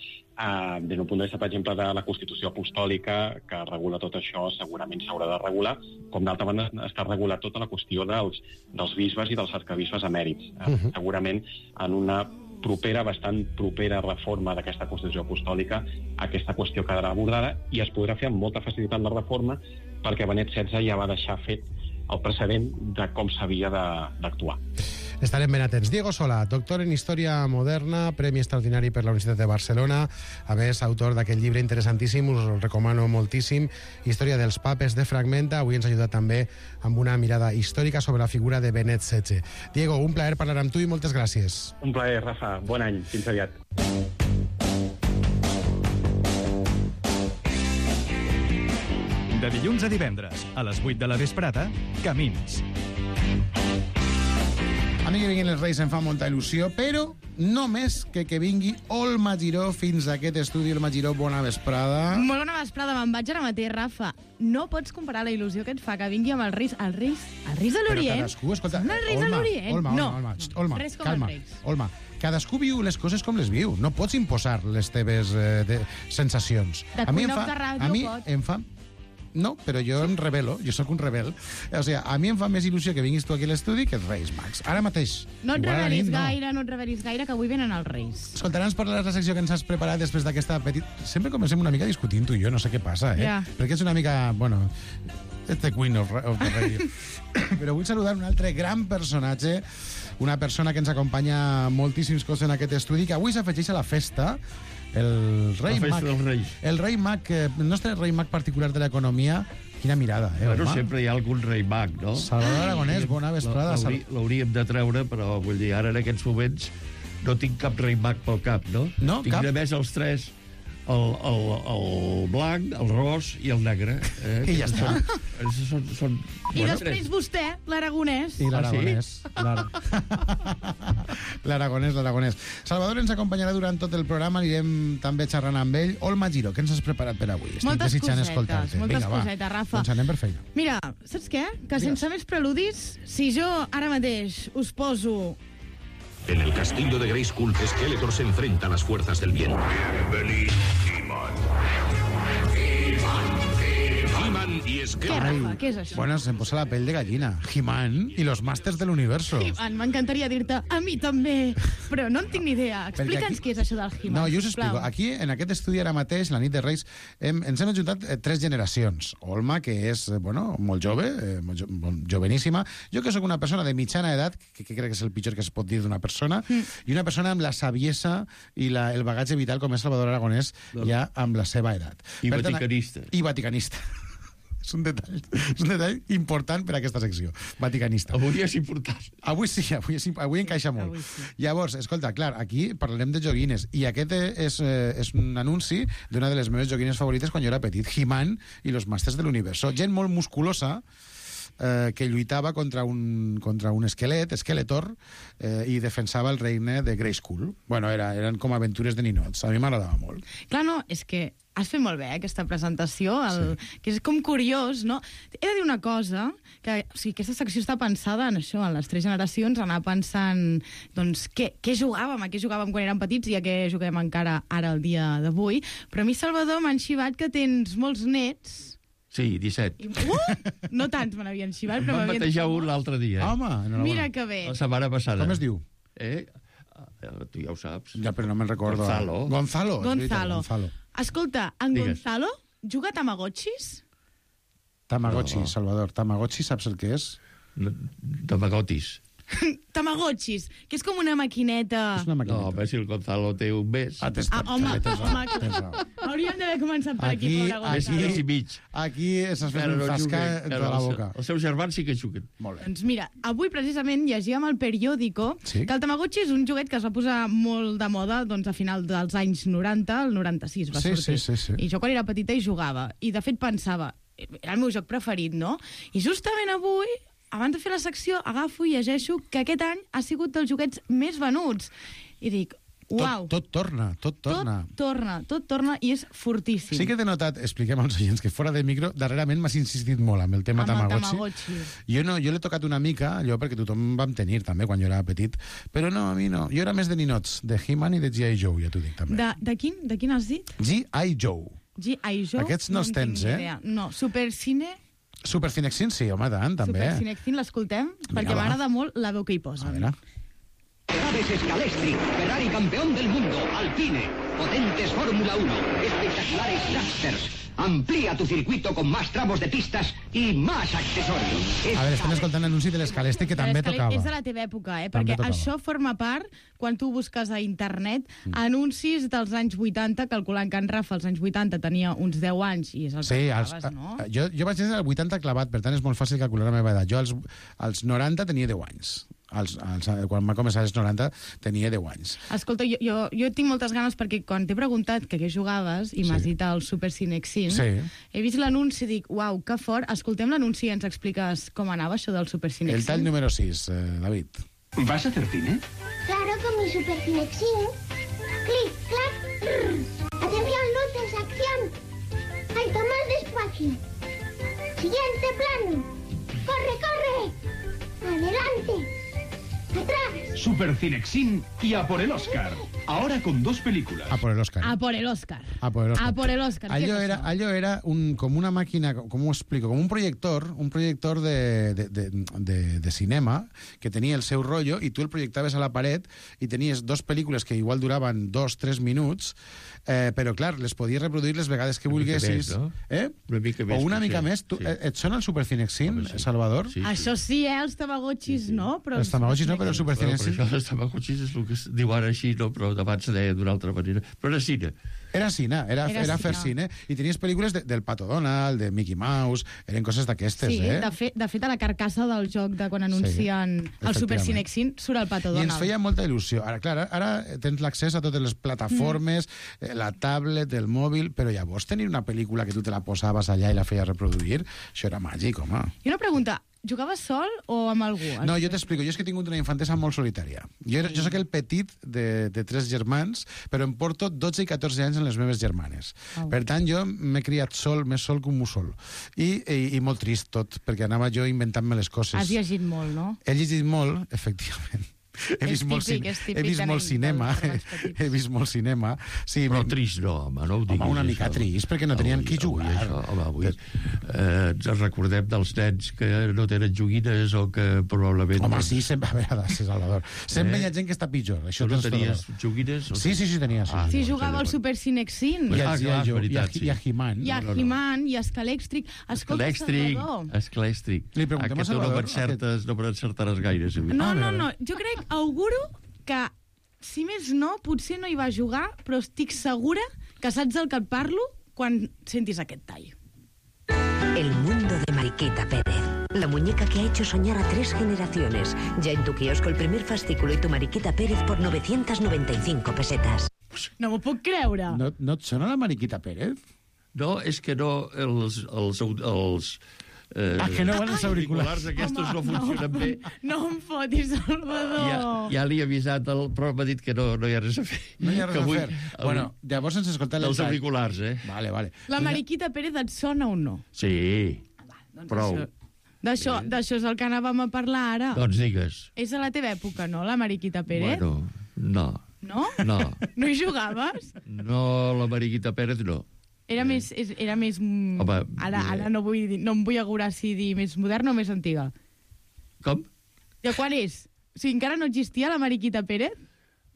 des d'un punt de vista, per exemple, de la Constitució Apostòlica, que regula tot això, segurament s'haurà de regular, com d'altra banda està regulat tota la qüestió dels bisbes i dels arcabisbes emèrits. Segurament en una bastant propera reforma d'aquesta Constitució Apostòlica, aquesta qüestió quedarà abordada i es podrà fer amb molta facilitat la reforma perquè Benet XVI ja va deixar fet el precedent de com s'havia d'actuar. Estarem ben atents. Diego Solà, doctor en Història Moderna, Premi Extraordinari per la Universitat de Barcelona, a més, autor d'aquest llibre interessantíssim, us el recomano moltíssim, Història dels papes de Fragmenta. Avui ens ha ajudat també amb una mirada històrica sobre la figura de Benet XVI. Diego, un plaer parlar amb tu i moltes gràcies. Un plaer, Rafa. Bon any. Fins aviat. De dilluns a divendres, a les 8 de la vesprada, Camins. A mi que vinguin els Reis em fa molta il·lusió, però només que vingui Olma Giró fins a aquest estudi. Olma Giró, bona vesprada. Molt bona vesprada, me'n vaig ara mateix, Rafa. No pots comparar la il·lusió que et fa que vingui amb els Reis. Els Reis de l'Orient? Però cadascú, escolta... Són els Reis de l'Orient? Olma, res com calma. els Reis. Olma, cadascú viu les coses com les viu. No pots imposar les teves sensacions. De cuinar de ràdio pots. Em fa... No, però jo em rebel·lo, jo sóc un rebel. O sigui, a mi em fa més il·lusió que vinguis tu aquí a l'estudi que els Reis Mags. Ara mateix. No et Igual a la revelis nit, gaire, no et revelis gaire, que avui venen els Reis. Escolta, ara ens parlaràs la secció que ens has preparat després d'aquesta petita... Sempre comencem una mica discutint tu i jo, no sé què passa, Ja. Perquè és una mica, bueno... The Queen of the Radio. Però vull saludar un altre gran personatge, una persona que ens acompanya moltíssims cops en aquest estudi, que avui s'afegeix a la festa, el Rei La festa Mag. dels Reis. El Rei Mag, el nostre Rei Mag particular de l'economia. Quina mirada, Bueno, home? sempre hi ha algun rei mag, no? Salvador Aragonès, bona vesprada. L'hauríem de treure, però vull dir, ara en aquests moments no tinc cap rei mag pel cap, no? No, tinc cap? només els tres, el blanc, el ros i el negre. I ja està. Són I després vostè, l'Aragonès. I l'Aragonès. L'Aragonès. Salvador ens acompanyarà durant tot el programa, anirem també xerrant amb ell. Olma Giro, què ens has preparat per avui? Estic Moltes desitjant cosetes, escoltar-te. moltes Vinga, va. cosetes, Rafa. Doncs anem per feina. Mira, saps què? Que sense més preludis, si jo ara mateix us poso... En el castillo de Grayskull, Skeletor se enfrenta a las fuerzas del bien. He-Man y Què, Skeletor. Rafa? Què és això? Bueno, se'm posa la pell de gallina. He-Man i los Masters del Universo. He-Man, m'encantaria dir-te a mi també, però no en tinc ni idea. Perquè Explica'ns aquí- què és això del He-Man. No, jo us sisplau. explico. Aquí, en aquest estudi ara mateix, la nit de Reis, ens hem ajuntat tres generacions. Olma, que és, bueno, molt jove, joveníssima. Jo, que sóc una persona de mitjana edat, que crec que és el pitjor que es pot dir d'una persona, i una persona amb la saviesa i el bagatge vital com és Salvador Aragonès, ja amb la seva edat. I Per tant, vaticanista. I vaticanista. És un detall important per a aquesta secció. Vaticanista. Avui és important. Avui sí, avui encaixa molt. Avui sí. Llavors, escolta, clar, aquí parlarem de joguines, i aquest és un anunci d'una de les meves joguines favorites quan jo era petit, He-Man i los Masters de l'Universo. Gent molt musculosa, que lluitava contra un esquelet, Skeletor, i defensava el regne de Grayskull. Bueno, eren com aventures de ninots. A mi m'agradava molt. Clar, no, és que has fet molt bé aquesta presentació, que és com curiós, no? He de dir una cosa, que o sigui, aquesta secció està pensada en això, en les tres generacions, anar pensant doncs, què jugàvem, a què jugàvem quan érem petits i a què juguem encara ara el dia d'avui. Però a mi, Salvador, m'han xivat que tens molts nets. Sí, 17. No tants me n'havien xivat, però Vam m'havien... batejar un l'altre dia. Home, enhorabona. Mira que bé. La setmana passada. Com es diu? Tu ja ho saps. Ja, però no me'n recordo. Gonzalo. És veritat, Gonzalo. Escolta, en Digues. Gonzalo juga a Tamagotxis? Tamagotchi, No. Salvador. Tamagotchi, saps el que és? Tamagotxis. Tamagotxis, que és com una maquineta... És una No, maquineta. home, si el Gonzalo té un mes. Tens home, raó, tens raó. hauríem d'haver començat per aquí, pobre Mes Gonzalo. i mig. Aquí s'has fet Encara un no fasca juguen, entre encara la els- boca. Els seus germans sí que juguen. Molt bé. Doncs mira, avui precisament llegíem al periòdico Sí? que el Tamagotchi és un joguet que es va posar molt de moda doncs, a final dels anys 90, el 96 va Sí, sortir. sí. I jo quan era petita hi jugava. I de fet pensava, era el meu joc preferit, no? I justament avui, abans de fer la secció, agafo i llegeixo que aquest any ha sigut dels joguets més venuts. I dic, uau, Tot torna. tot torna i és fortíssim. Sí que t'he notat, expliquem als oients, que fora de micro, darrerament m'has insistit molt amb el tema Amb el Tamagotchi. Tamagotchi. Jo l'he tocat una mica, allò perquè tothom vam tenir també quan jo era petit, però no, a mi no. Jo era més de ninots, de He-Man i de G.I. Joe, ja t'ho dic també. De quin has dit? G.I. Joe. G.I. Joe? Aquests no els en tinc tens, ni eh? idea. No, Supercine... Super Cinexin, sí, home, tant, també. Super Cinexin, l'escoltem, perquè va. m'agrada molt la veu que hi A posen. veure. Naves Scalestri, Ferrari campeón del mundo, Alpine, potentes Fórmula 1, espectaculares dragsters. Amplía tu circuito con más tramos de pistas y más accesorios. A veure, estem escoltant l'anunci de l'Escalesti, que també tocava. És de la teva època, També perquè tocava. això forma part, quan tu busques a internet, anuncis dels anys 80, calculant que en Rafa als anys 80 tenia uns 10 anys, i és el Sí, que als, trobaves, no? jo vaig néixer al 80 clavat, per tant és molt fàcil calcular la meva edat. Jo als 90 tenia 10 anys. Quan va començar als 90 tenia 10 anys. Escolta, jo tinc moltes ganes perquè quan t'he preguntat que què jugaves i m'has dit el Super Cinexin, Sí. he vist l'anunci i dic, uau, que fort, escoltem l'anunci i ens expliques com anava això del Super Cinexin. El tall número 6, David. ¿Vas a hacer cine? Claro, con mi Super Cinexin. Clic, clac, rrr. Atención, luces, acción. Hay que más despacio. Siguiente plano. Corre, corre. Adelante. Atrás. Super Cinexin y A por el Oscar. Ahora con 2 películas. A por el Oscar. A por el Oscar. A por el Oscar. A por el Oscar. Allò era com una màquina, com ho explico, com un projector de cinema que tenia el seu rotllo i tu el projectaves a la paret i tenies 2 pel·lícules que igual duraven 2-3 minuts, però clar, les podies reproduir les vegades que volguessis. No? Una mica més. O una mica més. Et sona el Super Cinexin, Salvador? Això sí, els tamagotxis no, però... Els tamagotxis no, però el Super Cinexin... Però això dels tamagotxis és el que es diu ara així, no? Però abans se deia d'una altra manera. Però era cine. Era cine, era fer cine. I tenies pel·lícules del Pato Donald, de Mickey Mouse, eren coses d'aquestes, sí, de fet, a la carcassa del joc de quan anuncien el Super Cinexin surt el Pato Donald. I ens feia molta il·lusió. Ara, clar, ara tens l'accés a totes les plataformes, la tablet, el mòbil, però llavors tenir una pel·lícula que tu te la posaves allà i la feies reproduir, això era màgic, home. I una pregunta, jugaves sol o amb algú? No, jo t'explico. Jo és que he tingut una infantesa molt solitària. Jo soc el petit de 3 germans, però em porto 12 i 14 anys en les meves germanes. Per tant, jo m'he criat sol, més sol que un mussol. I molt trist tot, perquè anava jo inventant-me les coses. Has llegit molt, no? He llegit molt, efectivament. He vist molt cinema. He vist molt cinema. Sí, però trist no, home, no ho diguis. Home, una mica trist, perquè no tenien qui jugar. Avui ens recordem dels nens que no tenen joguines o que probablement... Home, sí, sempre, a veure, Salvador. Sempre hi ha gent que està pitjor. Tu no tenies joguines? Sí, tenia. Sí, jugava al Super Cinexin. I a He-Man. I a He-Man, i a Escalèxtric. Escolta, Salvador. Escalèxtric. Li preguntem a Salvador. No encertaràs gaire. No. Jo crec, auguro que, si més no, potser no hi va jugar, però estic segura que saps del que et parlo quan sentis aquest tall. El mundo de Mariquita Pérez. La muñeca que ha hecho soñar a 3 generaciones. Ya en tu kiosco el primer fascículo y tu Mariquita Pérez por 995 pesetas. No m'ho puc creure. No et sona la Mariquita Pérez? No, és que no, els que no van els auriculars aquests no funcionen bé. No em fotis, Salvador. Ja li he avisat, però m'ha dit que no hi ha res a fer. No hi ha res a fer. Bueno, llavors ens escoltem els auriculars, Vale. La Mariquita Pérez et sona o no? Sí, prou. D'això és el que anàvem a parlar ara. Doncs digues. És a la teva època, no, la Mariquita Pérez? Bueno, no. No? No. No hi jugaves? No, la Mariquita Pérez no. Era més... Home, ara no em vull augurar si dir més moderna o més antiga. Com? De quan és? O sigui, encara no existia la Mariquita Pérez?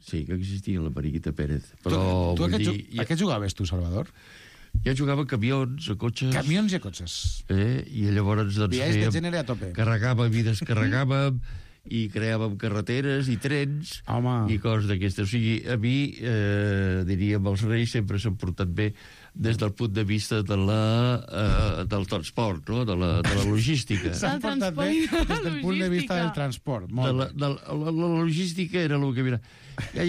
Sí, que existia la Mariquita Pérez. Però tu a què jugaves, tu, Salvador? Jo jugava a camions, a cotxes... Camions i a cotxes. I llavors viatges de gènere a tope. Carregàvem i descarregàvem i creàvem carreteres i trens i coses d'aquestes. O sigui, a mi, diríem, els reis sempre s'han portat bé des del punt de vista del transport, no? de la logística. S'han portat bé des del punt de vista del transport. La logística era el que... Mira, ja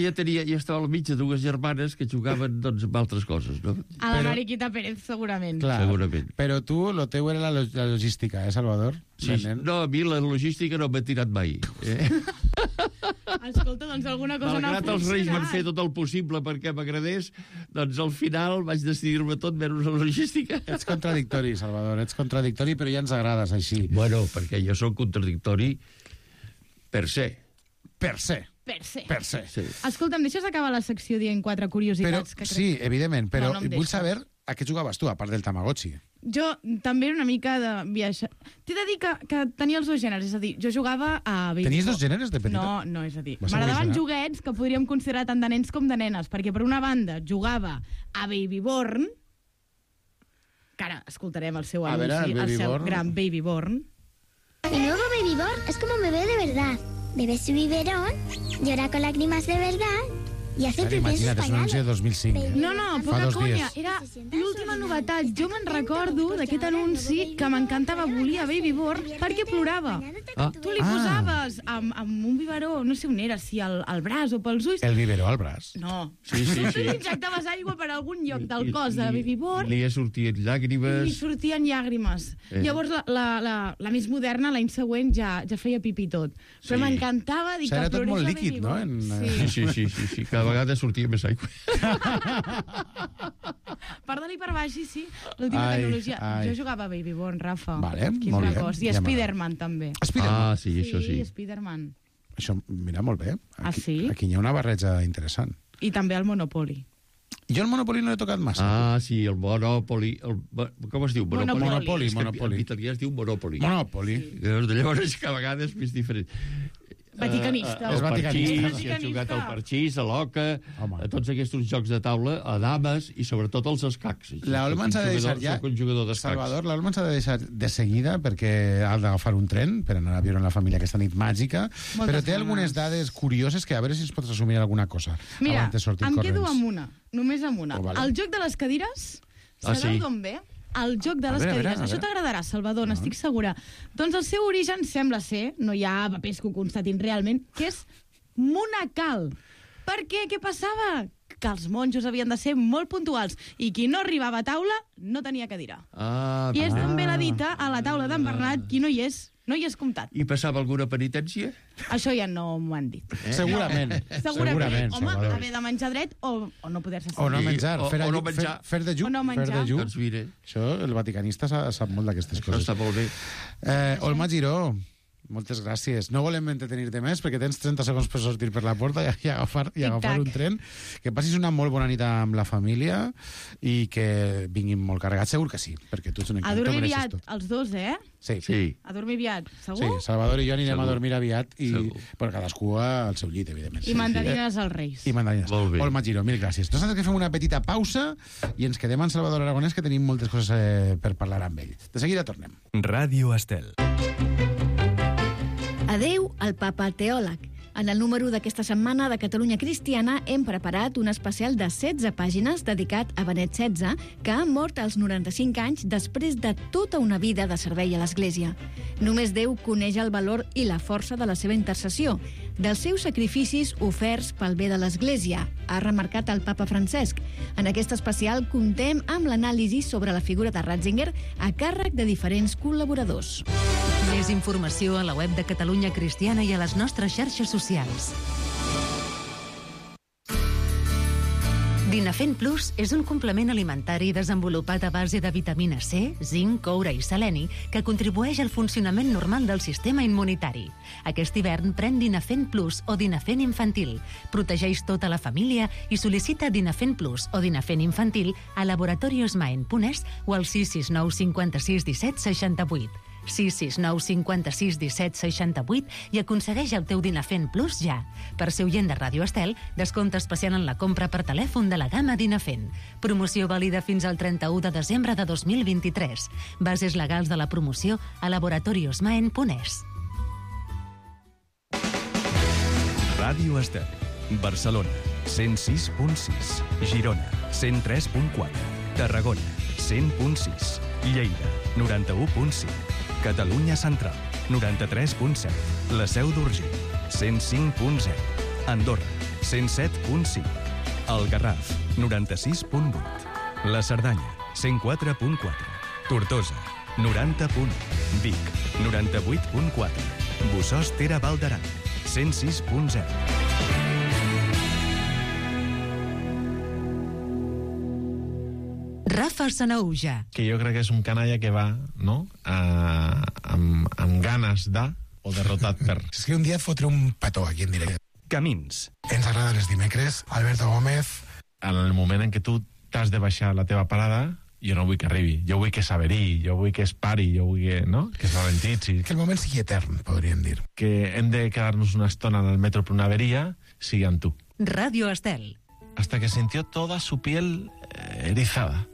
estava al mig de 2 germanes que jugaven amb altres coses. No? A la Mariquita Pérez, segurament. Clar, segurament. Però tu, el teu era la logística, Salvador? Sí, no, a mi la logística no m'ha tirat mai. Escolta, doncs alguna cosa no ha funcionat. Els reis van fer tot el possible perquè m'agradés, doncs al final vaig decidir-me tot menys la logística. Ets contradictori, Salvador, ets contradictori, però ja ens agrades així. Bueno, perquè jo soc contradictori per se. Per se. Sí. Escolta'm, deixes acabar la secció dient 4 curiositats? Sí, evidentment, però vull saber a què jugaves tu, a part del Tamagotchi. Jo també era una mica de viatge. T'he de dir que tenia els 2 gèneres, és a dir, jo jugava a Baby Tenies 2 gèneres de petita? No, és a dir, m'agradaven joguets que podríem considerar tant de nens com de nenes, perquè per una banda jugava a Babyborn, que ara escoltarem el seu anunci, el seu gran Babyborn. El nuevo Babyborn es como un bebé de verdad. Bebe su biberón, llora con lágrimas de verdad i hace pipí en sus pañales. Imagina't, és un anunci de 2005. No, poca conya. Era l'última novetat. Jo me'n recordo d'aquest anunci que m'encantava. Volia Babyborn perquè plorava. Tu li posaves amb un biberó, no sé on era, si al braç o pels ulls. El biberó al braç? No. Sí. Tu li injectaves aigua per algun lloc del cos de Babyborn. Li sortien llàgrimes. Li sortien llàgrimes. Llavors la més moderna, l'any següent, ja feia pipí tot. Però m'encantava dir que plorés tot molt líquid, no? Sí. Cada vegada sortia més aigua. Per dalt i per baix, sí. L'última tecnologia. Jo jugava a Babyborn, Rafa. Vale, molt bé. I Spiderman, també. Spiderman? Sí, això sí. Spiderman. Això, mira, molt bé. Aquí, sí? Aquí hi ha una barreja interessant. I també el Monopoly. Jo el Monopoly no l'he tocat massa. Sí, el Monopoly. Com es diu? Monopoly. En italià es diu Monopoly. Monopoly. Llavors, que a vegades és diferent. Vaticanista. És vaticanista. Si has jugat al parxís, a l'oca, a tots aquests jocs de taula, a dames i sobretot als escacs. L'Olma ens ha de deixar ja... Salvador, l'Olma ens ha de deixar de seguida perquè ha d'agafar un tren per anar a viure en la família aquesta nit màgica, però té algunes dades curioses que a veure si ens pots resumir alguna cosa. Mira, em corrents. quedo amb una, només amb una. Vale. El joc de les cadires, sabeu d'on ve? El joc de les cadires. Això t'agradarà, Salvador, n'estic segura. Doncs el seu origen sembla ser, no hi ha papers que ho constatin realment, que és monacal. Per què? Què passava? Que els monjos havien de ser molt puntuals i qui no arribava a taula no tenia cadira. I és d'on ve la dita a la taula d'en Bernat, qui no hi és comptat. I passava alguna penitència? Això ja no m'ho han dit. Segurament. Segurament. Home, haver de menjar dret o no poder-se sentir. O no menjar. Fer de lluc. O no menjar. Doncs mira. Això, el vaticanista sap molt d'aquestes coses. Està molt bé. Olma Giró, moltes gràcies. No volem entretenir-te més perquè tens 30 segons per sortir per la porta i agafar un tren. Que passis una molt bona nit amb la família i que vinguin molt carregats. Segur que sí, perquè tu ets un encanto. A dormir aviat, els dos, Sí. A dormir aviat, segur? Sí, Salvador i jo anirem a dormir aviat i cadascú al seu llit, evidentment. I mandarines als Reis. I mandarines. Olma Giró, mil gràcies. Nosaltres que fem una petita pausa i ens quedem amb Salvador Aragonès, que tenim moltes coses per parlar amb ell. De seguida tornem. Ràdio Estel. Adeu al papa teòleg. En el número d'aquesta setmana de Catalunya Cristiana hem preparat un especial de 16 pàgines dedicat a Benet XVI, que ha mort als 95 anys després de tota una vida de servei a l'Església. Només Déu coneix el valor i la força de la seva intercessió, dels seus sacrificis oferts pel bé de l'Església, ha remarcat el papa Francesc. En aquest especial contem amb l'anàlisi sobre la figura de Ratzinger a càrrec de diferents col·laboradors. Més informació a la web de Catalunya Cristiana i a les nostres xarxes socials. Dinafen Plus és un complement alimentari desenvolupat a base de vitamina C, zinc, coure i seleni que contribueix al funcionament normal del sistema immunitari. Aquest hivern pren Dinafen Plus o Dinafen Infantil. Protegeix tota la família i sol·licita Dinafen Plus o Dinafen Infantil a laboratoriosmaen.es o al 669 56 17 68. 669 56 17 68 i aconsegueix el teu Dinafen Plus ja. Per ser oient de Ràdio Estel, descompte especial en la compra per telèfon de la gamma Dinafen. Promoció vàlida fins al 31 de desembre de 2023. Bases legals de la promoció a laboratoriosmaen.es. Ràdio Estel. Barcelona, 106.6. Girona, 103.4. Tarragona, 100.6. Lleida, 91.5. Catalunya Central, 93.7. La Seu d'Urgell, 105.0. Andorra, 107.5. El Garraf, 96.8. La Cerdanya, 104.4. Tortosa, 90.1. Vic, 98.4. Bussòs Tera Val d'Aran, 106.0. Rafa Sanaúja. Que jo crec que és un canalla que va, no?, amb ganes de, o derrotat per... És que un dia et fotré un petó aquí en directe. Camins. Ens agrada els dimecres. Alberto Gómez. En el moment en què tu t'has de baixar la teva parada, jo no vull que arribi. Jo vull que s'averi, jo vull que es pari, jo vull que, no?, que es ralentitzi. Que el moment sigui etern, podríem dir. Que hem de quedar-nos una estona en el metro per una averia, sigui amb tu. Ràdio Estel. Hasta que sintió toda su piel erizada.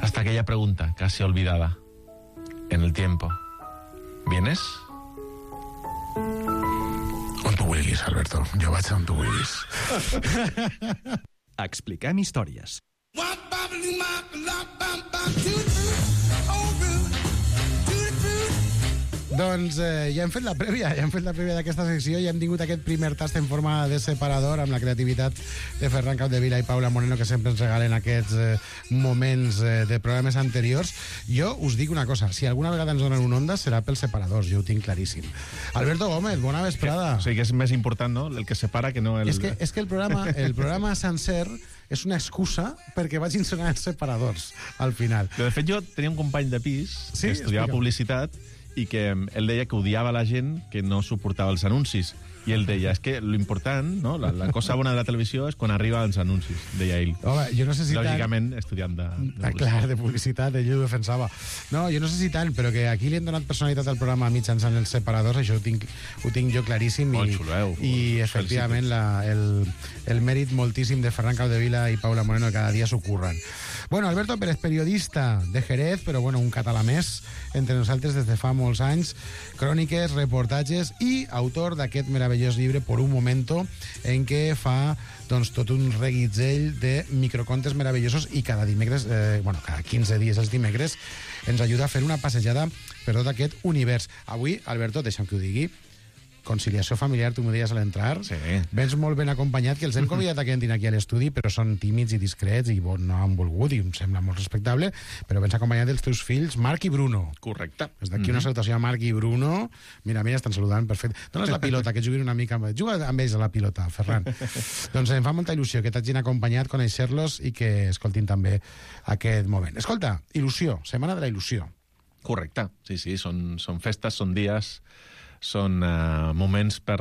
Hasta aquella pregunta, casi olvidada, en el tiempo. ¿Vienes? On tu vulguis, Alberto. Jo vaig on tu vulguis. Expliquem històries. Doncs ja hem fet la prèvia d'aquesta secció, ja hem tingut aquest primer tast en forma de separador amb la creativitat de Ferran Capdevila i Paula Moreno, que sempre ens regalen aquests moments de programes anteriors. Jo us dic una cosa, si alguna vegada ens donen un onda serà pels separadors, jo ho tinc claríssim. Alberto Gómez, bona vesprada. O sigui que és més important, no?, el que separa que no el... És que el programa sencer és una excusa perquè vagin sonar els separadors al final. Però de fet jo tenia un company de pis que estudiava publicitat i que ell deia que odiava la gent que no suportava els anuncis I ell deia, és que l'important, no? La cosa bona de la televisió és quan arriba als anuncis, deia ell. Home, jo no sé si lògicament, estudiant de publicitat. Clar, de publicitat, ell ho defensava. No, jo no sé si tant, però que aquí li han donat personalitat al programa mitjançant els separadors, això ho tinc jo claríssim. Molt xuleu. I efectivament, el mèrit moltíssim de Ferran Capdevila i Paula Moreno, que cada dia s'ho curren. Bueno, Alberto Pérez, periodista de Jerez, però bueno, un català més entre nosaltres des de fa molts anys, cròniques, reportatges i autor d'aquest meravellós llibre Por un momento, en què fa doncs, tot un reguitzell de microcontes meravellosos i cada dimecres, cada 15 dies els dimecres, ens ajuda a fer una passejada per tot aquest univers. Avui, Alberto, deixa'm que ho digui, conciliació familiar, tu m'ho deies a l'entrar. Sí. Vens molt ben acompanyat, que els hem convidat a que entrin aquí a l'estudi, però són tímids i discrets i no han volgut, i em sembla molt respectable, però vens acompanyat dels teus fills, Marc i Bruno. Correcte. Des d'aquí una salutació a Marc i Bruno. Mira, estan saludant, perfecte. Dones la pilota, que juguin una mica amb... Juga amb ells a la pilota, Ferran. Doncs em fa molta il·lusió que t'hagin acompanyat, conèixer-los i que escoltin també aquest moment. Escolta, il·lusió, Setmana de la Il·lusió. Correcte, sí, són festes, són dies, són moments per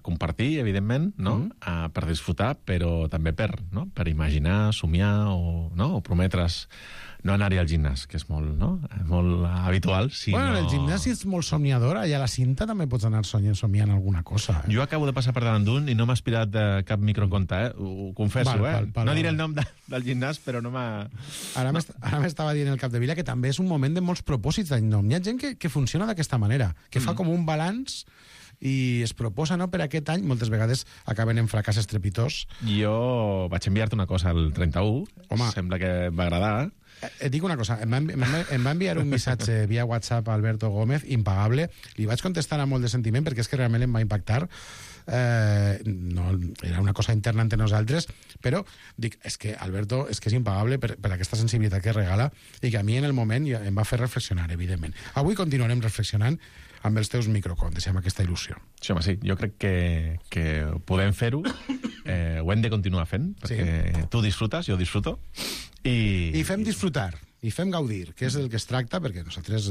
compartir, evidentment, no? Per disfrutar, però també per imaginar, somiar o prometre's no anar-hi al gimnàs, que és molt habitual. Bueno, el gimnàs és molt somiador, allà a la cinta també pots anar somiant alguna cosa. Jo acabo de passar per davant d'un i no m'ha aspirat de cap microconte, ho confesso, No diré el nom del gimnàs, però no m'ha... Ara m'estava dient el Capdevila que també és un moment de molts propòsits d'any nou. Hi ha gent que funciona d'aquesta manera, que fa com un balanç i es proposa, no, per aquest any, moltes vegades acaben en fracàs estrepitós. Jo vaig enviar-te una cosa el 31, sembla que va agradar. Et dic una cosa, em va enviar un missatge via WhatsApp a Alberto Gómez, impagable, li vaig contestar amb molt de sentiment perquè és que realment em va impactar, no, era una cosa interna entre nosaltres, però dic, és que Alberto és impagable per aquesta sensibilitat que regala i que a mi en el moment em va fer reflexionar, evidentment. Avui continuarem reflexionant amb els teus microcontes i amb aquesta il·lusió. Sí, home, sí. Jo crec que podem fer-ho, ho hem de continuar fent, perquè tu disfrutes, jo disfruto. I fem disfrutar, i fem gaudir, que és el que es tracta, perquè nosaltres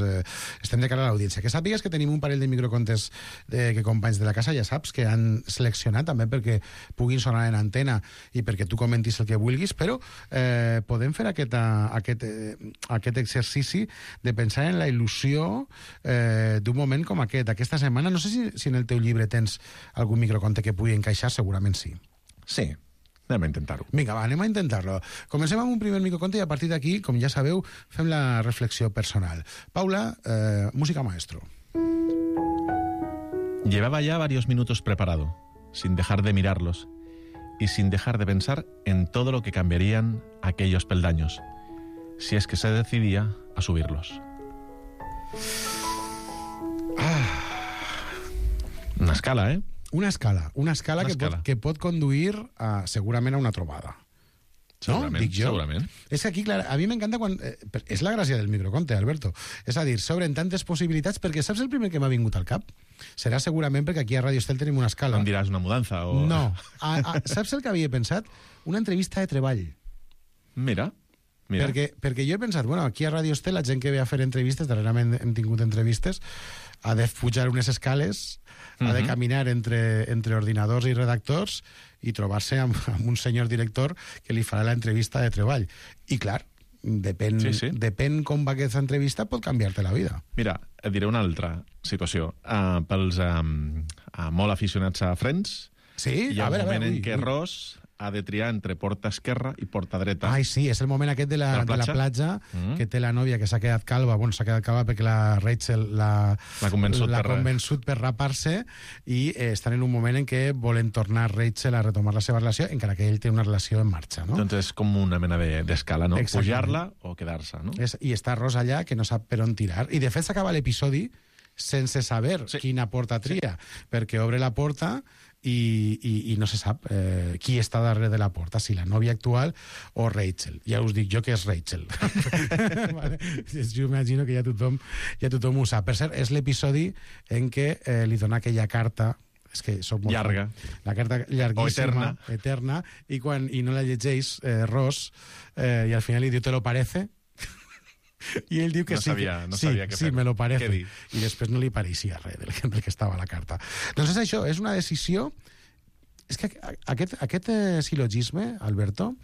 estem de cara a l'audiència. Que sàpigues que tenim un parell de microcontes que companys de la casa, ja saps, que han seleccionat també perquè puguin sonar en antena i perquè tu comentis el que vulguis, però podem fer aquest exercici de pensar en la il·lusió d'un moment com aquest. Aquesta setmana, no sé si en el teu llibre tens algun microconte que pugui encaixar, segurament sí. Sí. Anem a intentar-ho. Vinga, va, anem a intentar-lo. Comencem amb un primer microconte i a partir d'aquí, com ja sabeu, fem la reflexió personal. Paula, música maestro. Llevaba ya varios minutos preparado, sin dejar de mirarlos y sin dejar de pensar en todo lo que cambiarían aquellos peldaños, si es que se decidía a subirlos. Una escala, ¿eh? Una escala que pot conduir segurament a una trobada. Segurament, no? Dic jo. Segurament. És que aquí, clar, a mi m'encanta quan... és la gràcia del microconte, Alberto. És a dir, s'obren tantes possibilitats, perquè saps el primer que m'ha vingut al cap? Serà segurament perquè aquí a Radio Estel tenim una escala. Em diràs una mudança o... No. Saps el que havia pensat? Una entrevista de treball. Mira. Perquè jo he pensat, bueno, aquí a Radio Estel la gent que ve a fer entrevistes, darrerament hem tingut entrevistes, ha de pujar unes escales, ha de caminar entre ordinadors i redactors i trobar-se amb un senyor director que li farà l'entrevista de treball. I clar, depèn com va aquesta entrevista, pot canviar-te la vida. Mira, et diré una altra situació. Pels molt aficionats a Friends, hi ha un moment en què Ross ha de triar entre porta esquerra i porta dreta. Ai, sí, és el moment aquest de la platja, que té la nòvia que s'ha quedat calva, perquè la Rachel l'ha convençut per rapar-se, i estan en un moment en què volen tornar Rachel a retomar la seva relació, encara que ell té una relació en marxa, no? Doncs és com una mena d'escala, no? Pujar-la o quedar-se, no? I està Ross allà, que no sap per on tirar. I de fet s'acaba l'episodi sense saber quina porta tria, perquè obre la porta i no se sap qui està darrere de la porta, si la nòvia actual o Rachel. Ja us dic jo que és Rachel. Vale? Jo imagino que ja tothom ho sap. Per cert, és l'episodi en què li dona aquella carta, és que soc molt llarga, la carta llarguíssima, eterna, i no la llegeix Ross, i al final li diu, ¿te lo parece? I ell diu que no sabia què fer. Sí, me lo parece. Què dir? I després no li pareixia res del que estava a la carta. Doncs és això, és una decisió... És que aquest silogisme, Alberto,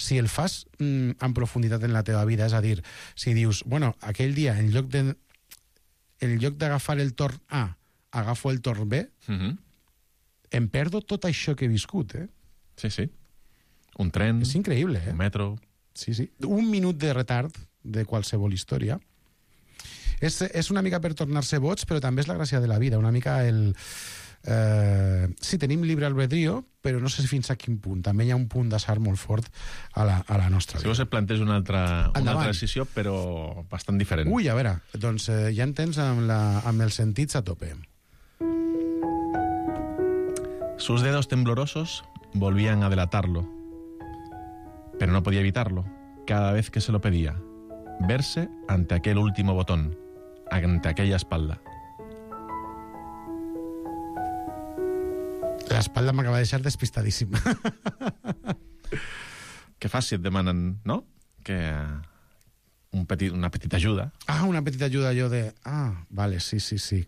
si el fas en profunditat en la teva vida, és a dir, si dius, bueno, aquell dia, en lloc d'agafar el torn A, agafo el torn B, em perdo tot això que he viscut, eh? Sí, sí. Un tren... És increïble, eh? Un metro... Sí, sí. Un minut de retard de qualsevol història. És una mica per tornar-se boig, però també és la gràcia de la vida, una mica el... sí, tenim llibre albedrío, però no sé fins a quin punt. També hi ha un punt d'assar molt fort a la nostra vida. Si vols et planteges una altra decisió, però bastant diferent. Ui, a veure, doncs ja en tens amb els sentits a tope. Sus dedos temblorosos volvían a delatarlo, pero no podía evitarlo, cada vez que se lo pedía, verse ante aquel último botón, ante aquella espalda. L'espalda m'acaba de deixar despistadíssim. Què fas si et demanen, no? Que una petita ajuda. Ah, una petita ajuda allò de... Ah, vale, sí,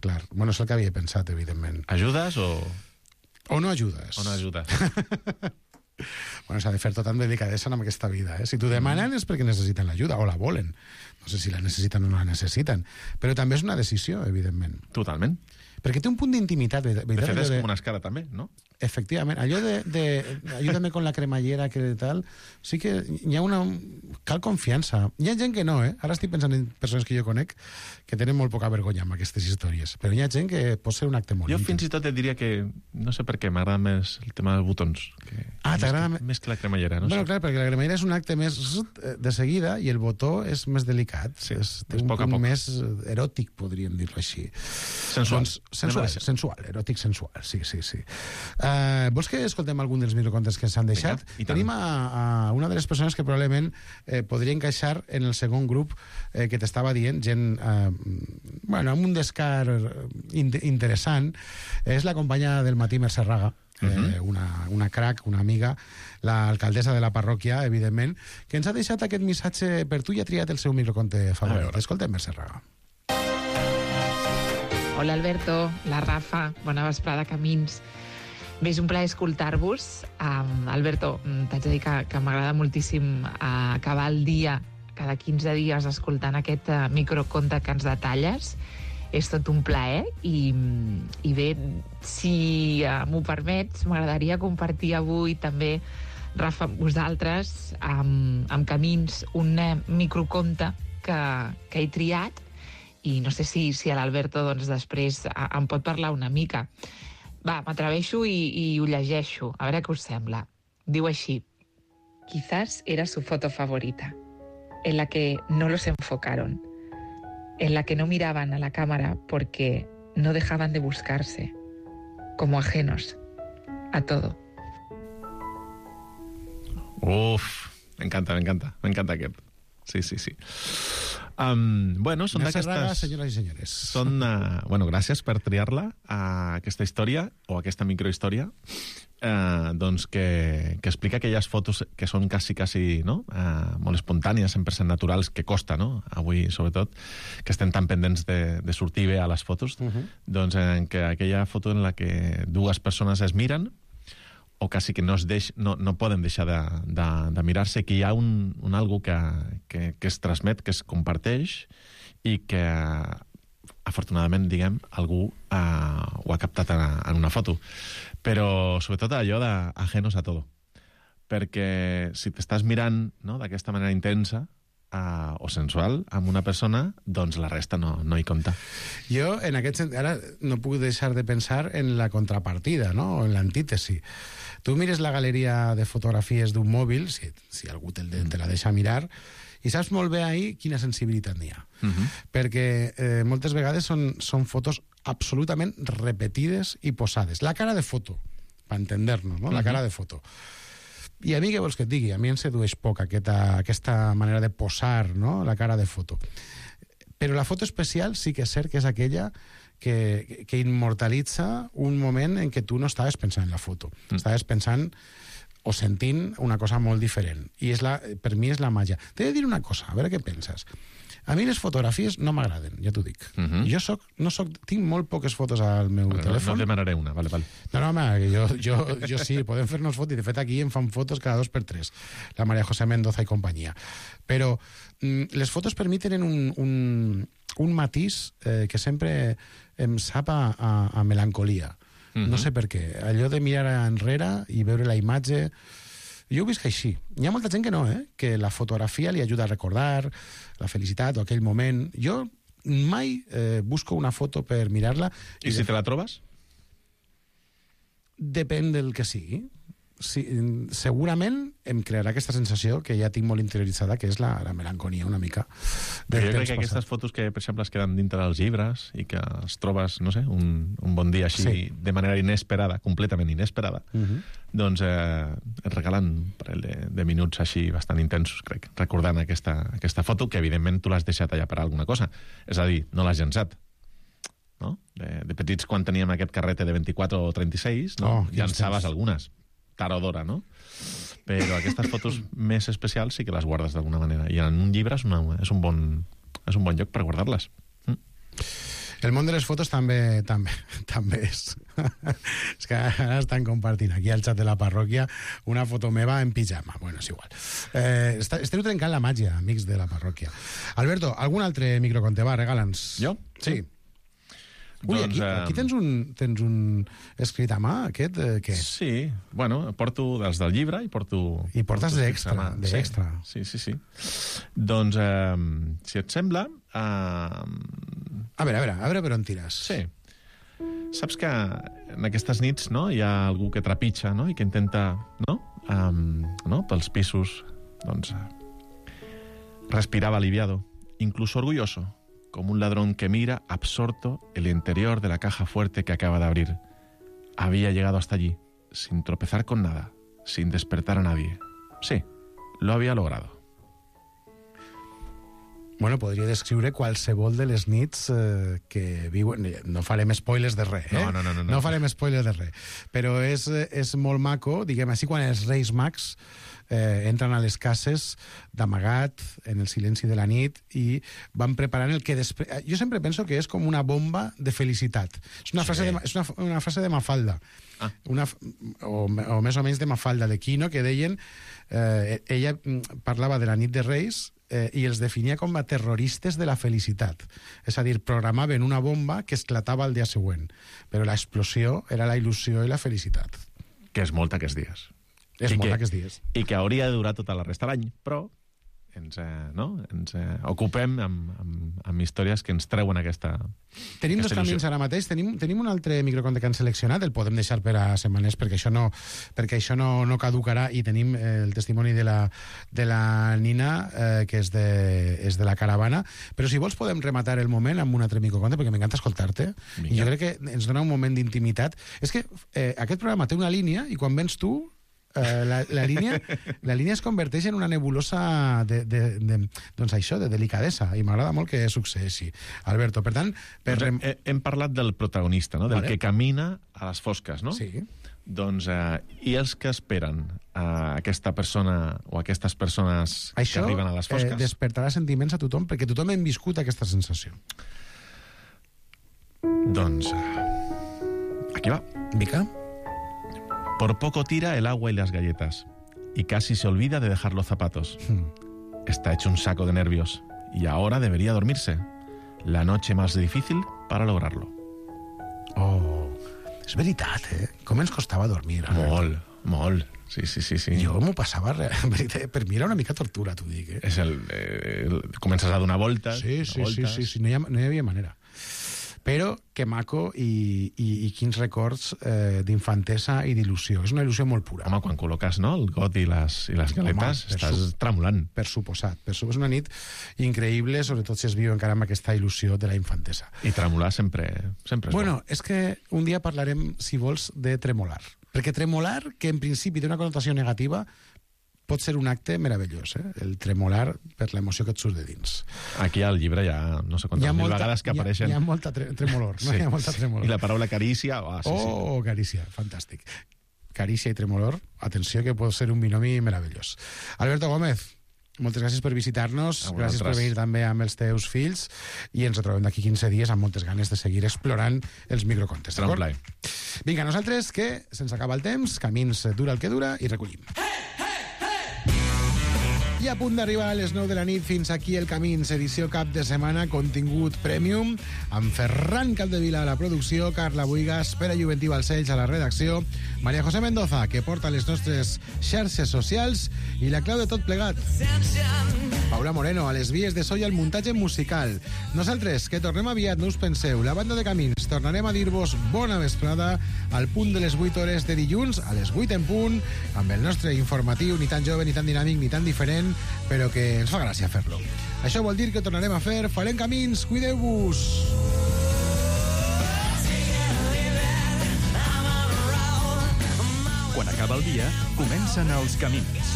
clar. Bueno, és el que havia pensat, evidentment. Ajudes o...? O no ajudes. O no ajudes. Bueno, s'ha de fer tot amb delicadesa en aquesta vida, eh? Si t'ho demanen és perquè necessiten l'ajuda, o la volen. No sé si la necessiten o no la necessiten. Però també és una decisió, evidentment. Totalment. Perquè té un punt d'intimitat. De fet, és com una escara, també, no? Efectivament. Allò de ayúdame con la cremallera, que tal... Sí que hi ha una... Cal confiança. Hi ha gent que no, eh? Ara estic pensant en persones que jo conec que tenen molt poca vergonya amb aquestes històries. Però hi ha gent que pot ser un acte molt íntim. Jo fins i tot et diria que... No sé per què, m'agrada més el tema dels botons. T'agrada més que la cremallera, no? Bueno, clar, perquè la cremallera és un acte més de seguida i el botó és més delicat. Sí, té un punt més eròtic, podríem dir-lo així. Sensual, eròtic sensual, sí. Vols que escoltem algun dels microcontes que s'han deixat? Tenim a una de les persones que probablement podria encaixar en el segon grup que t'estava dient, gent amb un descar interessant. És la companya del matí, Mercè Raga, una crac, una amiga, l'alcaldessa de la parròquia, evidentment, que ens ha deixat aquest missatge per tu i ha triat el seu microconte favorit. Escoltem, Mercè Raga. Hola Alberto, la Rafa, bona vesprada, Camins. Bé, és un plaer escoltar-vos. Alberto, t'haig de dir que m'agrada moltíssim acabar el dia cada 15 dies escoltant aquest microconte que ens detalles. És tot un plaer i bé, si m'ho permets, m'agradaria compartir avui també, Rafa, amb vosaltres, amb Camins, un microconte que he triat i no sé si l'Alberto doncs, després em pot parlar una mica. Va, m'atreveixo i ho llegeixo, a veure què us sembla. Diu així: quizás era su foto favorita, en la que no los enfocaron, en la que no miraban a la cámara porque no dejaban de buscarse, como ajenos a todo. Uf, m'encanta aquest. Sí. Bueno, són d'aquestes... Senyores i senyores. Són, gràcies per triar-la, aquesta història, o aquesta microhistòria, doncs que explica aquelles fotos que són quasi, no? Molt espontànies, 100% naturals, que costa, no? Avui, sobretot, que estem tan pendents de sortir bé a les fotos, doncs en que aquella foto en la que dues persones es miren, o quasi que no poden deixar de mirar-se, que hi ha un algo que es transmet, que es comparteix i que afortunadament, diguem, algú ho ha captat en una foto. Però sobretot allò d'ajenos a todo. Perquè si t'estàs mirant, no, d'aquesta manera intensa o sensual amb una persona, doncs la resta no hi compta. Jo, en aquest sentit, ara no puc deixar de pensar en la contrapartida, no? O en l'antítesi. Tu mires la galeria de fotografies d'un mòbil, si algú te la deixa mirar, i saps molt bé ahir quina sensibilitat n'hi ha. Perquè moltes vegades són fotos absolutament repetides i posades. La cara de foto, per entender-nos, no? La cara de foto. I a mi, què vols que et digui? A mi em sedueix poc aquesta manera de posar, no? La cara de foto. Però la foto especial sí que és cert que és aquella que immortalitza un moment en què tu no estaves pensant en la foto. Estaves pensant o sentint una cosa molt diferent. I per mi és la màgia. T'he de dir una cosa, a veure què penses. A mi les fotografies no m'agraden, ja t'ho dic. Jo tinc molt poques fotos al meu telèfon. No demanaré una, vale. No, home, jo sí, podem fer-nos fotos. De fet, aquí em fan fotos cada 2 per 3. La María José Mendoza i companyia. Però les fotos per mi tenen un matís que sempre em sap a melancolia. No sé per què. Allò de mirar enrere i veure la imatge... Jo ho visc així. Hi ha molta gent que no, que la fotografia li ajuda a recordar la felicitat o aquell moment. Jo mai busco una foto per mirar-la. I si te la trobes? Depèn del que sigui. Sí, segurament em crearà aquesta sensació que ja tinc molt interioritzada, que és la melancolia una mica. Jo crec que aquestes fotos que, per exemple, es queden dintre dels llibres i que es trobes, no sé, un bon dia així, de manera inesperada, completament inesperada, doncs et regalen un parell de minuts així bastant intensos, crec, recordant aquesta foto, que evidentment tu l'has deixat allà per alguna cosa. És a dir, no l'has llençat. No? De petits, quan teníem aquest carrete de 24 o 36, llançaves algunes. Tard o d'hora, no? Però aquestes fotos més especials sí que les guardes d'alguna manera. I en un llibre és un bon lloc per guardar-les. El món de les fotos també és. És que ara estan compartint aquí al xat de la parròquia una foto meva en pijama. Bueno, és igual. Esteu trencant la màgia, amics de la parròquia. Alberto, algun altre microconte? Va, regala'ns. Jo? Sí. Ui, aquí tens un escrit a mà, aquest, què és? Sí, bueno, porto dels del llibre i porto... I portes d'extra. Sí. Doncs, si et sembla... A veure per on tires. Sí. Saps que en aquestes nits, no, hi ha algú que trepitja, no?, i que intenta, no, pels pisos, doncs, respiraba aliviado, incluso orgulloso, como un ladrón que mira absorto el interior de la caja fuerte que acaba de abrir. Había llegado hasta allí, sin tropezar con nada, sin despertar a nadie. Sí, lo había logrado. Bueno, podria descriure qualsevol de les nits que viuen... No farem spoilers de res, No farem spoilers de res. Però és molt maco, diguem així, quan els Reis Mags entren a les cases d'amagat, en el silenci de la nit, i van preparant el que després... Jo sempre penso que és com una bomba de felicitat. És una frase de Mafalda. O més o menys de Mafalda, de Quino, que deien... ella parlava de la nit de Reis i els definia com a terroristes de la felicitat. És a dir, programaven una bomba que esclatava el dia següent. Però l'explosió era la il·lusió i la felicitat. Que és molt aquests dies. Aquests dies. I que hauria de durar tota la resta de l'any, però ens ocupem amb històries que ens treuen aquesta Tenim dos camins ara mateix. Tenim un altre microconte que han seleccionat, el podem deixar per a setmanes perquè això no caducarà, i tenim el testimoni de la Nina, que és de la caravana. Però si vols podem rematar el moment amb un altre microconte, perquè m'encanta escoltar-te. I jo crec que ens dona un moment d'intimitat. És que aquest programa té una línia i quan vens tu la línia es converteix en una nebulosa doncs això, de delicadesa, i m'agrada molt que succeeixi. Alberto, per tant... Hem parlat del protagonista, no? Del que camina a les fosques, no? Sí. Doncs, i els que esperen aquesta persona o aquestes persones que arriben a les fosques? Això despertarà sentiments a tothom, perquè tothom hem viscut aquesta sensació. Doncs, aquí va. Mica. Por poco tira el agua y las galletas, y casi se olvida de dejar los zapatos. Está hecho un saco de nervios, y ahora debería dormirse. La noche más difícil para lograrlo. Oh, és veritat, Com ens costava dormir. Molt. Sí. Jo m'ho passava, per mi era una mica tortura, t'ho dic. Comences a donar voltes. Sí, no hi havia manera. Però que maco i quins records d'infantesa i d'il·lusió. És una il·lusió molt pura. Home, quan col·loques el got i les galetes, estàs tremolant. Per suposat. És una nit increïble, sobretot si es viu encara amb aquesta il·lusió de la infantesa. I tremolar sempre és bueno, és que un dia parlarem, si vols, de tremolar. Perquè tremolar, que en principi té una connotació negativa, pot ser un acte meravellós, el tremolar per l'emoció que et surt de dins. Aquí al llibre hi ha no sé quantes mil vegades que apareixen... Hi ha molta tremolor, no? Hi ha molta tremolor. I la paraula carícia... carícia, fantàstic. Carícia i Tremolor. Atenció, que pot ser un binomi meravellós. Alberto Gómez, moltes gràcies per visitar-nos, gràcies per venir també amb els teus fills, i ens retrobem d'aquí 15 dies amb moltes ganes de seguir explorant els microcontes. Serà un plaer. Vinga, nosaltres, que se'ns acaba el temps, camins dura el que dura, i recollim. I a punt d'arribar a les 9 de la nit, fins aquí el Camins, edició cap de setmana, contingut premium, amb Ferran Capdevila a la producció, Carla Buigas, Pere Juventí Balcells a la redacció, Maria José Mendoza, que porta les nostres xarxes socials, i la clau de tot plegat, Paula Moreno, a les vies de so i al muntatge musical. Nosaltres, que tornem aviat, no us penseu, la banda de Camins, tornarem a dir-vos bona vesprada al punt de les 8 hores de dilluns, a les 8 en punt, amb el nostre informatiu, ni tan jove, ni tan dinàmic, ni tan diferent, però que ens fa gràcia fer-lo. Això vol dir que tornarem a fer Farem Camins, cuideu-vos! Quan acaba el dia, comencen els camins.